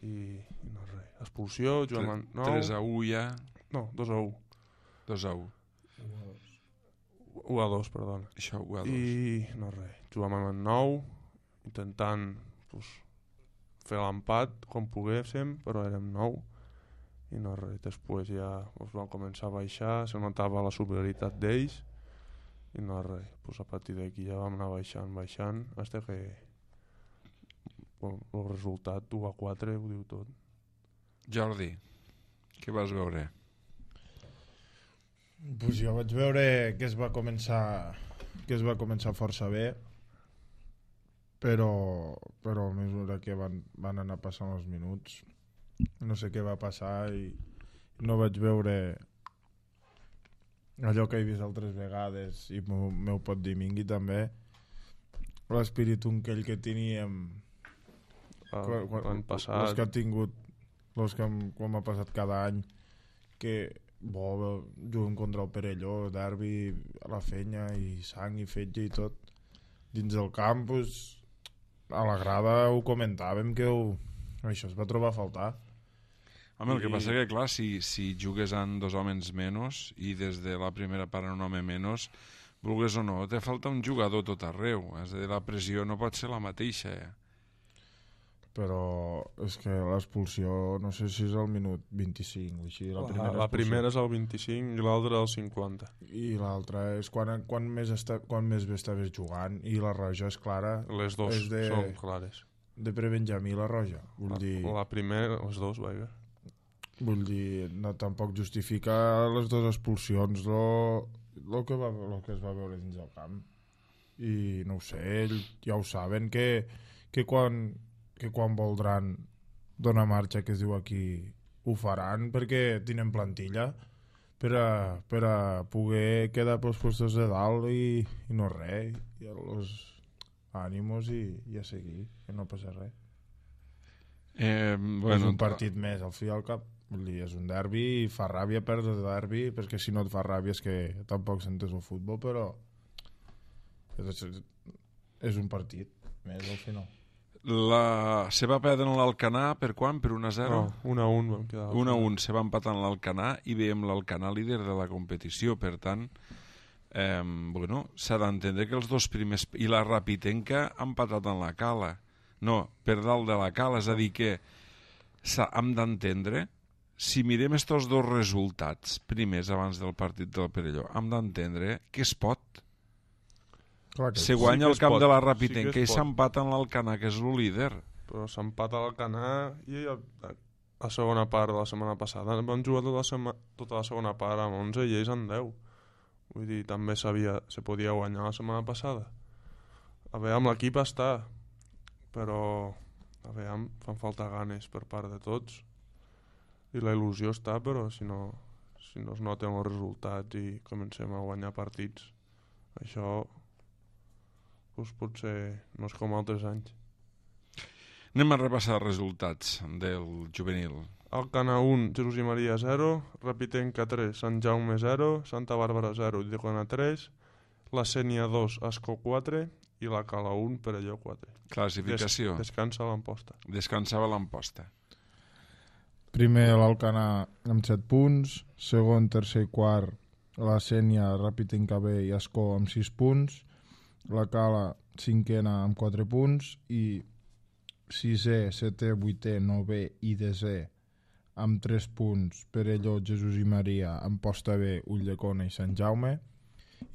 i no res, expulsió, juguem en 9... 3-1 ja? No, 2-1. 2-1. 1-2, perdona. Això, 1-2. I no res, juguem en 9, intentant pues, fer l'empat com poguéssim, però érem 9, i no res, després ja vam començar a baixar, se notava la superioritat d'ells, i no res, pues a partir d'aquí ja vam anar baixant, fins que el resultat 1-4 ho diu tot. Jordi, què vas veure? Pues jo vaig veure que es va començar força bé, però a mesura que van anar passant els minuts no sé què va passar i no vaig veure allò que he vist altres vegades, i m'ho pot dir Mingui també, l'espírit aquell que teníem l'any passat, els que ha tingut, quan m'ha passat cada any, que juguem contra el Perelló, derbi a la fenya i sang i fetge i tot dins del camp, pues, a la grada ho comentàvem que això es va trobar a faltar. Home, el que passa que, clar, si jugues amb 2 homes menys i des de la primera part un home menys, vulgues o no, te falta un jugador tot arreu. És a dir, la pressió no pot ser la mateixa. Però és que l'expulsió, no sé si és al minut 25 o així. La primera és al 25 i l'altra al 50. I l'altra és quan més bé estaves jugant, i la roja és clara. Les dues són clares. De pre-Benjamí, la roja. La primera, les dues, vaja. Vull dir, no, tampoc justifica les dues expulsions el que es va veure dins del camp. I no ho sé, ells ja ho saben que quan voldran donar marxa, que es diu aquí, ho faran, perquè tenen plantilla per a poder quedar pels puestos de dalt i no res, i els ànimos i a seguir, que no passa res. És un partit més, al fi i al cap. Vull dir, és un derbi i fa ràbia perdre el derbi, perquè si no et fa ràbia és que tampoc sentes el futbol, però és un partit més al final. Se va perdre l'Alcanar per quan? Per 1-0? No, 1-1 vam quedar. 1-1 se va empatar en l'Alcanar i veiem l'Alcanar líder de la competició, per tant s'ha d'entendre que els dos primers i la Rapitenca han empatat en la Cala, no, per dalt de la Cala, és a dir que hem d'entendre, si mirem estos dos resultats primers abans del partit del Perelló, hem d'entendre que es pot. Se guanya el camp de la Rapitenca i s'empata en l'Alcanar, que és el líder. Però s'empata l'Alcanar i a segona part de la setmana passada van jugar tota la segona part amb 11 i ells amb 10. Vull dir, també se podia guanyar la setmana passada. A veure, amb l'equip està, però a veure, fan falta ganes per part de tots i la il·lusió està, però si no es noten els resultats i comencem a guanyar partits, això doncs potser no és com altres anys. Anem a repassar els resultats del juvenil. Alcanar 1, Jesús i Maria 0, Rapitenca 3, Sant Jaume 0, Santa Bàrbara 0, Llegona 3, la Sénia 2, Ascó 4 i la Cala 1, Perelló 4. Classificació. Descansa l'Amposta. Descansava l'Amposta. Primer l'Alcanar amb 7 punts, segon, tercer i quart la Sénia, Rapitenca B i Ascó amb 6 punts, la Cala cinquena amb 4 punts i sisè, setè, vuitè, novè i desè amb 3 punts Perelló, Jesús i Maria, Amposta B, Ulldecona i Sant Jaume,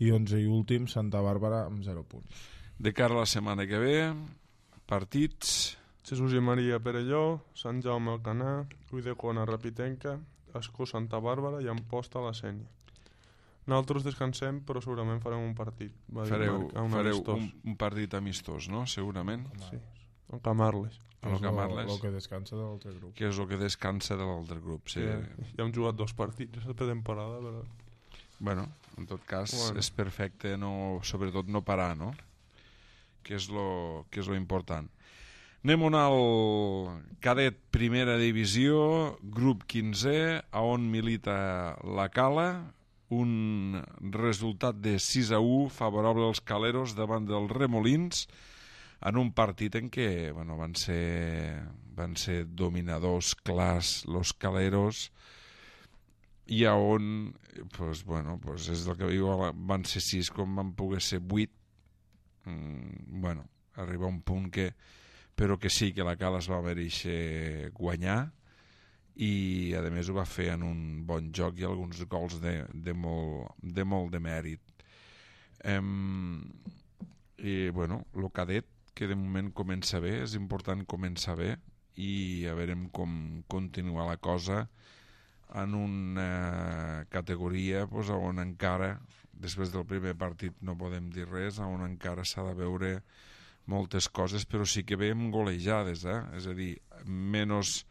i 11 i últim Santa Bàrbara amb 0 punts. De cara a la setmana que ve, partits... Jesús i Maria, Perelló, Sant Jaume, Alcanar, Ulldecona, Rapitenca, Ascó, Santa Bàrbara i Amposta, la Sénia. Nosaltres descansem, però segurament farem un partit. Fareu un partit amistós, no? Segurament. Sí, el Camarles. El que descansa de l'altre grup. Que és el que descansa de l'altre grup, sí. Ja hem jugat 2 partits a la temporada, però... Bueno, en tot cas, és perfecte, sobretot no parar, no? Que és lo important. Anem al cadet primera divisió, grup 15, on milita la Cala, un resultat de 6-1 favorable als caleros davant dels Remolins, en un partit en què van ser dominadors clars los caleros, i on és el que diu, van ser 6 com van poder ser 8. Arriba un punt però que sí que la Cala es va mereixer guanyar, i a més ho va fer en un bon joc i alguns gols de molt de mèrit. I el cadet, que de moment comença bé, és important començar bé, i a veure com continua la cosa en una categoria on encara, després del primer partit no podem dir res, on encara s'ha de veure moltes coses, però sí que veiem golejades, és a dir, menys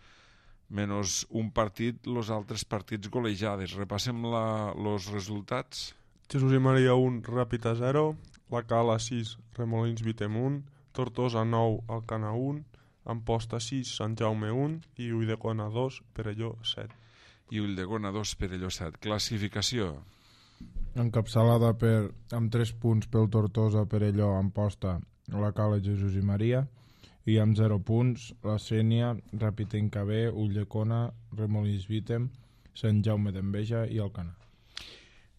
un partit, els altres partits golejades. Repassem els resultats. Jesús i Maria 1, Ràpita 0, la Cala 6, Remolins Vitem 1, Tortosa 9, Alcanar 1, Amposta 6, Sant Jaume 1 i Ulldecona 2, Perelló 7. i Ulldecona 2, Perelló 7. Classificació. Encapçalada amb 3 punts pel Tortosa, Perelló, Amposta, la Cala, Jesús i Maria, i amb 0 punts la Sénia, Rapitenca B, Ulldecona, Remolins Vítem, Sant Jaume d'Enveja i Alcanar.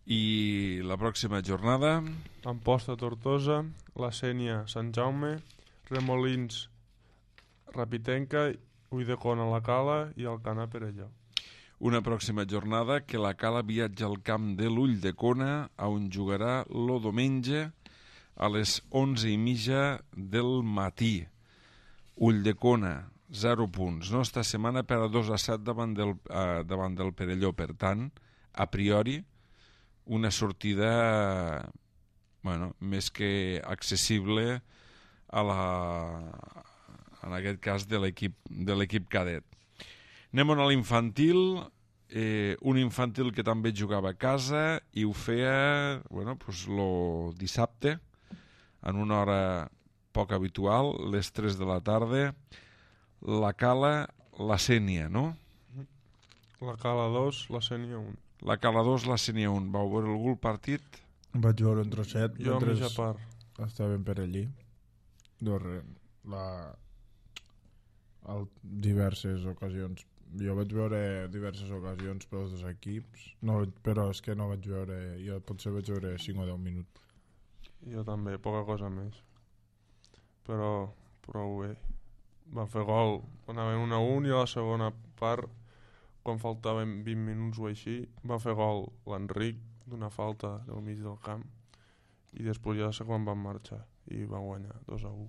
I la pròxima jornada, Amposta, Tortosa, la Sénia, Sant Jaume, Remolins, Rapitenca, Ulldecona, la Cala i Alcanar, Perelló. una pròxima jornada que la Cala viatja al camp de l'Ulldecona, on jugarà lo diumenge a les 11:30 del matí. Ulldecona, 0 punts. No, esta setmana per a 2-7 davant del Perelló. Per tant, a priori, una sortida més que accessible en aquest cas de l'equip cadet. Anem a l'infantil, un infantil que també jugava a casa i ho feia lo dissabte en una hora poc habitual, les 3 de la tarda. La Cala, la Sénia, no? La Cala 2, la Sénia 1. La Cala 2, la Sénia 1. Vau veure algun partit? Vaig veure un trosset. Jo a mitja part. Estaven per allí. Diverses ocasions. Jo vaig veure diverses ocasions pels dos equips, però és que no vaig veure, jo potser vaig veure 5 o 10 minuts. Jo també, poca cosa més. Però prou bé. Va fer gol, anaven 1-1 i a la segona part, quan faltaven 20 minuts o així, va fer gol l'Enric d'una falta del mig del camp i després ja sé quan van marxar i van guanyar 2-1.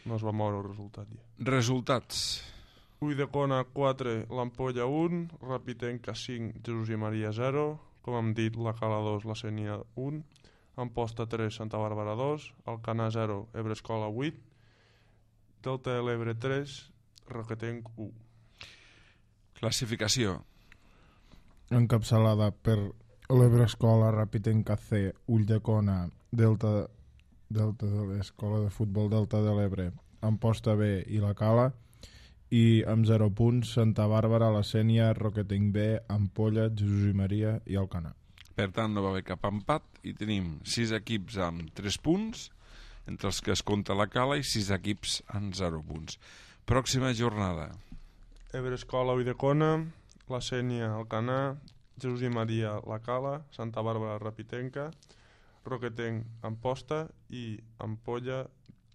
No es va moure el resultat ja. Resultats. Ulldecona 4, l'Ampolla 1, Rapitenca 5, Jesús i Maria 0, com hem dit, la Cala 2, la Sénia 1, Amposta 3, Santa Bàrbara 2, Alcanar 0, Ebre Escola 8, Delta de l'Ebre 3, Roquetenc 1. Classificació. Encapçalada per l'Ebre Escola, Rapitenca C, Ulldecona, Delta de l'Escola de Futbol Delta de l'Ebre, Amposta B i la Cala, i amb 0 punts Santa Bàrbara, la Sénia, Roquetenc B, Ampolla, Jesús i Maria i Alcanar. Per tant, no va haver cap empat i tenim 6 equips amb 3 punts, entre els que es compta la Cala, i 6 equips amb 0 punts. Pròxima jornada. Ebre Escola, Ulldecona, la Sénia, Alcanar, Jesús i Maria, la Cala, Santa Bàrbara, Rapitenca, Roquetenc, Amposta i Ampolla,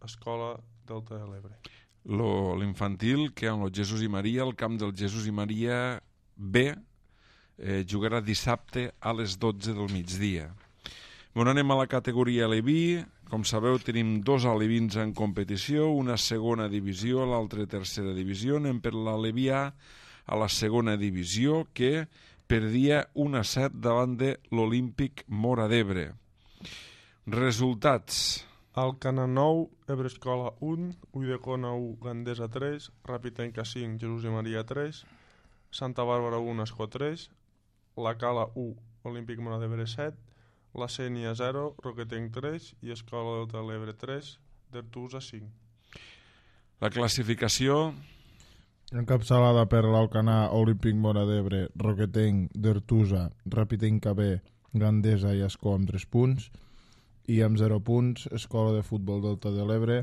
Escola Delta de l'Ebre. L'infantil, que amb el Jesús i Maria, el camp del Jesús i Maria B, jugarà dissabte a les 12 del migdia. Anem a la categoria Aleví. Com sabeu, tenim 2 alevins en competició, una segona divisió, l'altra tercera divisió. Anem per l'Aleví A a la segona divisió, que perdia 1-7 davant de l'Olímpic Móra d'Ebre. Resultats. Alcanar 9, Ebre Escola 1, Ulldecona 1, Gandesa 3, Rapitenca 5, Jesús i Maria 3, Santa Bàrbara 1, Escó 3, la Cala 1, Olímpic Móra d'Ebre 7, la Sénia 0, Roquetenc 3 i Escola Delta de l'Ebre 3, d'Artusa 5. La classificació. Encapçalada per l'Alcanar, Olímpic Móra d'Ebre, Roquetenc, d'Artusa, Rapitenca B, Gandesa i Escó amb 3 punts, i amb 0 punts Escola de Futbol Delta de l'Ebre,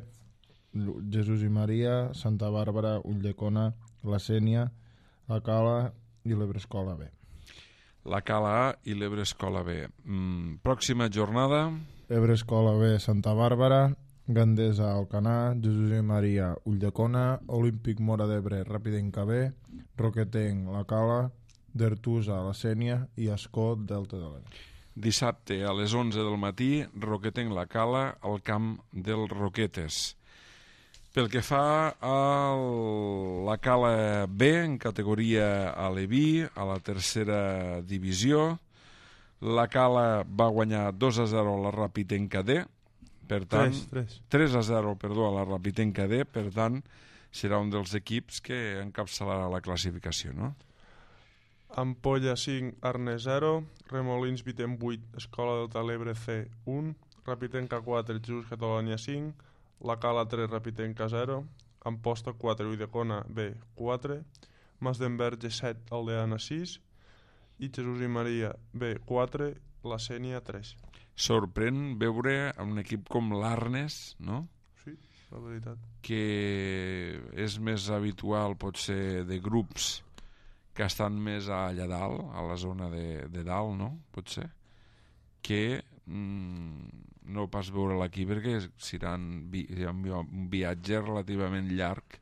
Jesús i Maria, Santa Bàrbara, Ulldecona, la Sénia, la Cala i l'Ebre Escola B. La Cala A i l'Ebre Escola B. Pròxima jornada. Ebre Escola B, Santa Bàrbara, Gandesa, Alcanar, Jesús i Maria, Ulldecona, Olímpic Móra d'Ebre, Rapitenca B, Roquetenc, la Cala, d'Artusa, la Sénia i Escó Delta de l'Ebre. Dissabte a les 11 del matí, Roquetenc, la Cala, al camp del Roquetes. Pel que fa a la Cala B, en categoria Aleví, a la tercera divisió, la Cala va guanyar 2-0 a la Rapitenca D, per tant, 3-0, perdó, a la Rapitenca D, per tant, serà un dels equips que encapçalarà la classificació, no? Ampolla 5, Arnes 0, Remolins Vítem 8, Escola Delta de l'Ebre C 1, Rapitenca 4, Jesús Catalonia 5, la Cala 3, Rapitenca 0, Amposta 4, Ulldecona B 4, Mas d'Enverge 7, Aldeana 6 i Jesús i Maria B 4, la Sénia 3. Sorprèn veure un equip com l'Arnes, no? Sí, la veritat. Que és més habitual potser de grups que estan més allà dalt, a la zona de dalt, no? Potser que no pas veure l'equip perquè serà un viatge relativament llarg,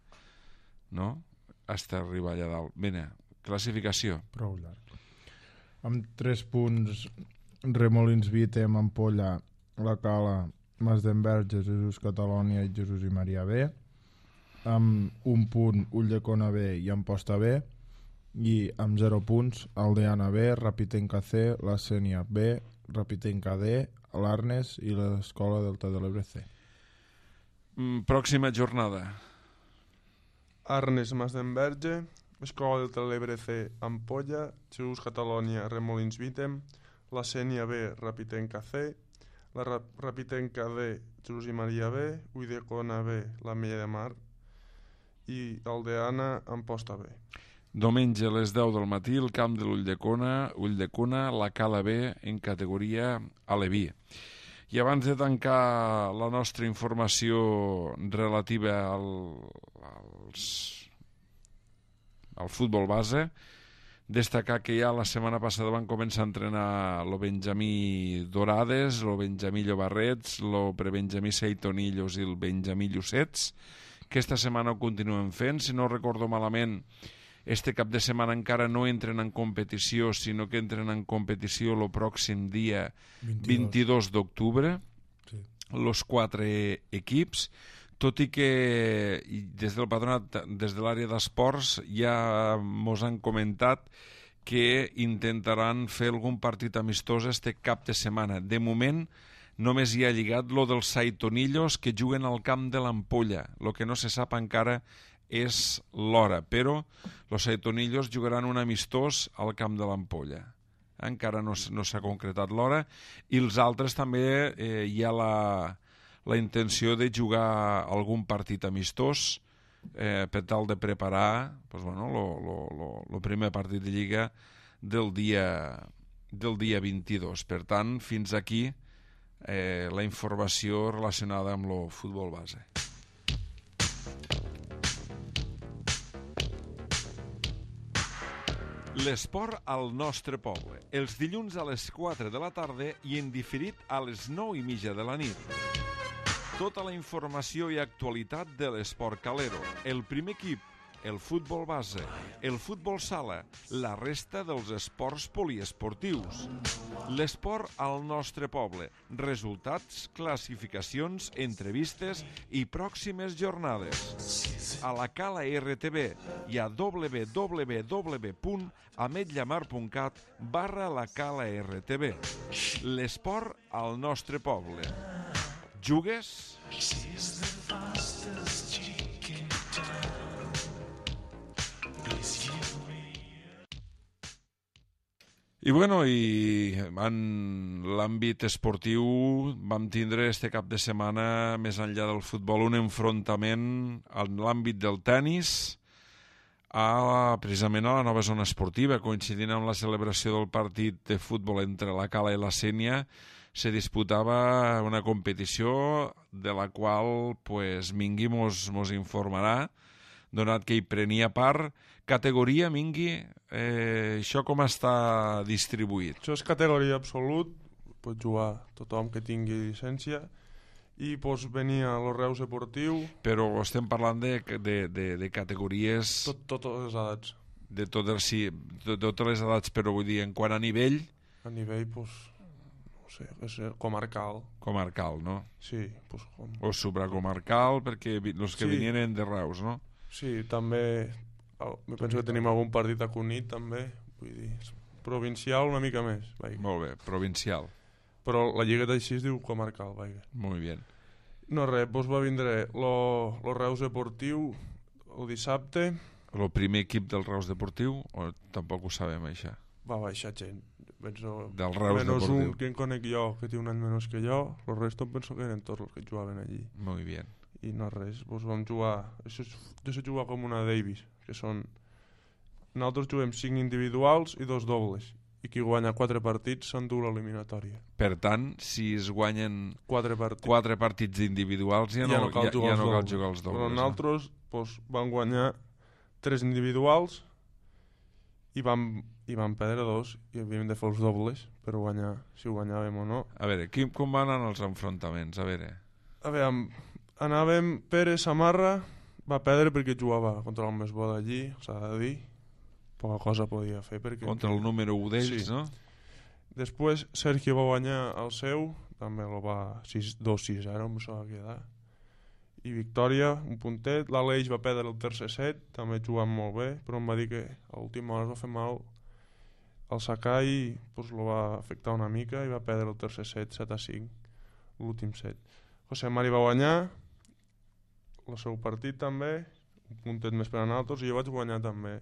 no? Hasta arribar allà dalt. Bene, classificació. Prou llarg. Amb 3 punts, Remolins Vítem, Ampolla, La Cala, Masdenverge, Jesús Catalònia i Jesús i Maria B. Amb 1 punt, Ulldecona B i Amposta B. I amb 0 punts, Aldeana B, Rapitenca C, la Sénia B, Rapitenca D, l'Arnes i l'Escola Delta de l'Ebre C. Pròxima jornada. Arnes Masdenverge, Escola del Telebre C, Ampolla, Jesús Catalònia, Remolins Vítem, la Sénia B, Rapitenca C, la Rapitenca D, Jesús i Maria B, Ulldecona B, la Mella de Mar i Aldeana, Amposta B. Diumenge a les 10 del matí, el camp de l'Ulldecona, la Cala B en categoria Aleví. I abans de tancar la nostra informació relativa al futbol base, destacar que ja la setmana passada van començar a entrenar el Benjamí Dorades, el Benjamí Llobarrets, el prebenjamí Seitonillos i el Benjamí Llucets, que esta setmana ho continuen fent. Si no recordo malament, este cap de setmana encara no entren en competició, sinó que entren en competició el pròxim dia 22 d'octubre, sí. Los 4 equips, tot i que des del patronat, des de l'àrea d'esports, ja mos han comentat que intentaran fer algun partit amistós este cap de setmana. De moment, només hi ha lligat lo dels Saitonillos, que juguen al camp de l'Ampolla. Lo que no se sap encara és l'hora, però los Saitonillos jugaran un amistós al camp de l'Ampolla. Encara no s'ha concretat l'hora, i els altres també hi ha la intenció de jugar algun partit amistós per tal de preparar el primer partit de Lliga del dia 22. Per tant, fins aquí la informació relacionada amb el futbol base. L'esport al nostre poble, els dilluns a les 4 de la tarda i en diferit a les 9:30 de la nit. Tota la informació i actualitat de l'esport calero, el primer equip, el futbol base, el futbol sala, la resta dels esports poliesportius. L'esport al nostre poble, resultats, classificacions, entrevistes i pròximes jornades. A la Cala RTV i a www.ametlllamar.cat/la Cala RTV. L'esport al nostre poble. Jugues? I en l'àmbit esportiu vam tindre este cap de setmana, més enllà del futbol, un enfrontament en l'àmbit del tennis precisament a la nova zona esportiva, coincidint amb la celebració del partit de futbol entre la Cala i la Sénia. Se disputava una competició de la qual Mingui mos informarà, donat que hi prenia part. Categoria, Mingui, això com està distribuït? Això és categoria absolut, pot jugar tothom que tingui llicència, i venia a los Reus Esportiu. Però estem parlant de categories... Totes les edats. De totes les edats, però vull dir, en quant a nivell... A nivell, no sé, és comarcal. Comarcal, no? Sí. O supracomarcal, perquè els que venien de Reus, no? Sí, també... penso que tenim algun partit a Cunit, també. Vull dir, provincial una mica més. Molt bé, provincial. Però la lliga d'així es diu comarcal. Molt bé. No res, va vindre lo Reus Deportiu el dissabte. El primer equip del Reus Deportiu, o tampoc ho sabem, això? Va baixar gent. Penso, del Reus menos Deportiu. Un que en conec jo, que té un any menys que jo, el resto penso que eren tots els que jugaven allí. Molt bé. I no res, vam jugar... Jo sé jugar com una Davis, que són... Nosaltres juguem 5 individuals i 2 dobles. i qui guanya 4 partits s'endú l'eliminatòria. Per tant, si es guanyen 4 partits. 4 partits individuals ja no cal jugar els dobles. Però nosaltres vam guanyar 3 individuals i vam perdre 2 i havíem de fer els dobles per guanyar, si ho guanyàvem o no. A veure, com van anar els enfrontaments? A veure, anàvem Pere Samarra, va perdre perquè jugava contra el més bo d'allí, s'ha de dir, poca cosa podia fer perquè... contra el número 1 d'ells, sí. No? Després Sergio va guanyar el seu, també el va 2-6-0, em va quedar. I victòria, un puntet. L'Aleix va perdre el tercer set, també jugant molt bé, però em va dir que a l'última hora es va fer mal el Sakai, doncs lo va afectar una mica i va perdre el tercer set 7-5, l'últim set. José Mari va guanyar el seu partit també, un puntet més per a nosaltres, i jo vaig guanyar també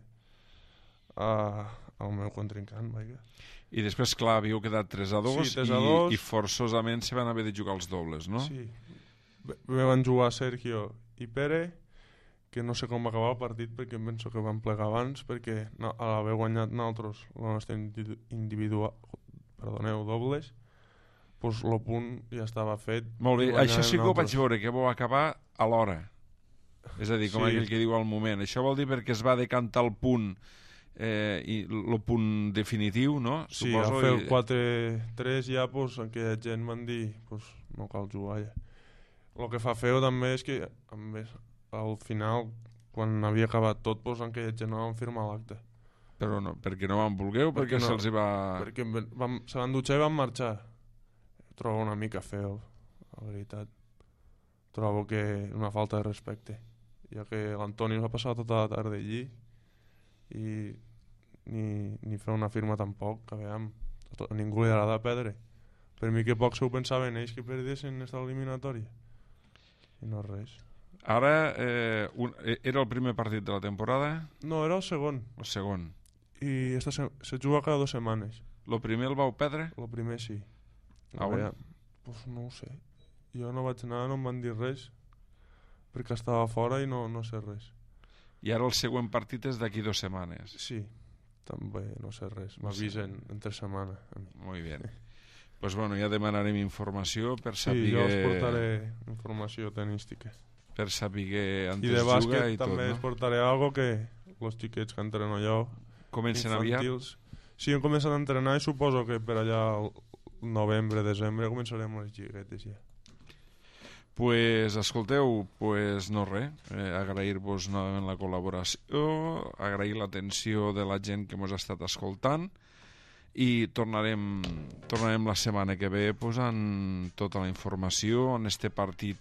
al meu contrincant, vaja. I després, clar, havíeu quedat 3-2, sí, 3-2. I forçosament se van haver de jugar els dobles, no? Sí. Van jugar Sergio i Pere, que no sé com va acabar el partit perquè em penso que van plegar abans, perquè a l'haver guanyat nosaltres la nostra dobles, doncs el punt ja estava fet. Molt bé, això sí que ho vaig veure, que vau acabar a l'hora. És a dir, com aquell que diu al moment. Això vol dir perquè es va decantar el punt i el punt definitiu, no? Sí, suposo, a fer el 4-3 ja, doncs, aquella gent van dir doncs, no cal jugar ja. El que fa feo també és que al final, quan havia acabat tot, doncs, aquella gent no van firmar l'acte. Però no, perquè no van voler o perquè se'ls hi va... Perquè se van dutxar i van marxar. Trobo una mica feo, la veritat. Trobo que una falta de respecte, ja que l'Antoni va passar tota la tarda allí i ni fer una firma tampoc, que veiem, a ningú li agrada perdre. Per mi que poc se ho pensaven ells que perdessin aquesta eliminatòria i no res. Ara era el primer partit de la temporada? No, era el segon. El segon. I se juga cada 2 setmanes. El primer el vau perdre? El primer sí. A on? Pues no ho sé. Jo no vaig anar, no em van dir res perquè estava fora i no sé res. I ara el següent partit és d'aquí 2 setmanes? Sí, també no sé res. M'avisen entre setmana. Molt bé. Pues bueno, ja demanarem informació per saber... Sí, jo us portaré informació tenística. Per saber on es juga i tot, no? I de bàsquet també es portaré algo que els xiquets que entreno jo... Comencen infantils, aviat? Sí, hem començat a entrenar i suposo que per allà al novembre, desembre començarem les lliguetes ja. Pues escolteu, pues no res, agrair-vos novament la col·laboració, agrair l'atenció de la gent que ens ha estat escoltant i tornarem la setmana que ve posant tota la informació en este partit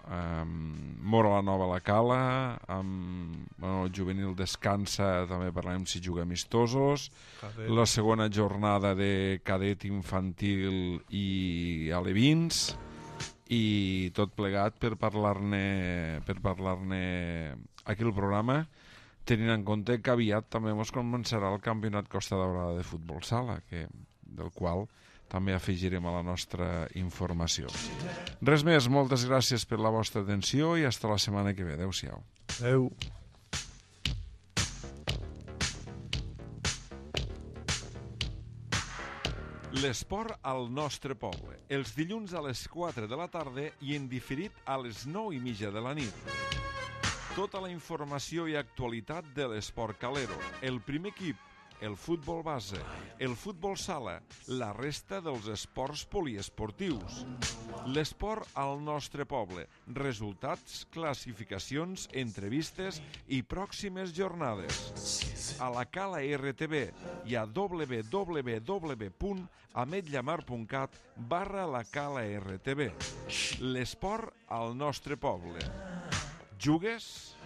Mora la Nova a la Cala, el juvenil descansa, també parlarem si juga amistosos, la segona jornada de cadet infantil i alevins, i tot plegat per parlar-ne aquí al programa, tenint en compte que aviat també ens començarà el campionat Costa Daurada de futbol sala, del qual també afegirem a la nostra informació. Res més, moltes gràcies per la vostra atenció i fins la setmana que ve. Adéu-siau. Adéu. L'esport al nostre poble. Els dilluns a les 4 de la tarda i en diferit a les 9:30 de la nit. Tota la informació i actualitat de l'esport calero. El primer equip, el futbol base, el futbol sala, la resta dels esports poliesportius. L'esport al nostre poble. Resultats, classificacions, entrevistes i pròximes jornades. A la Cala RTV i a www.ametlllamar.cat/la Cala RTV. L'esport al nostre poble. Jugues?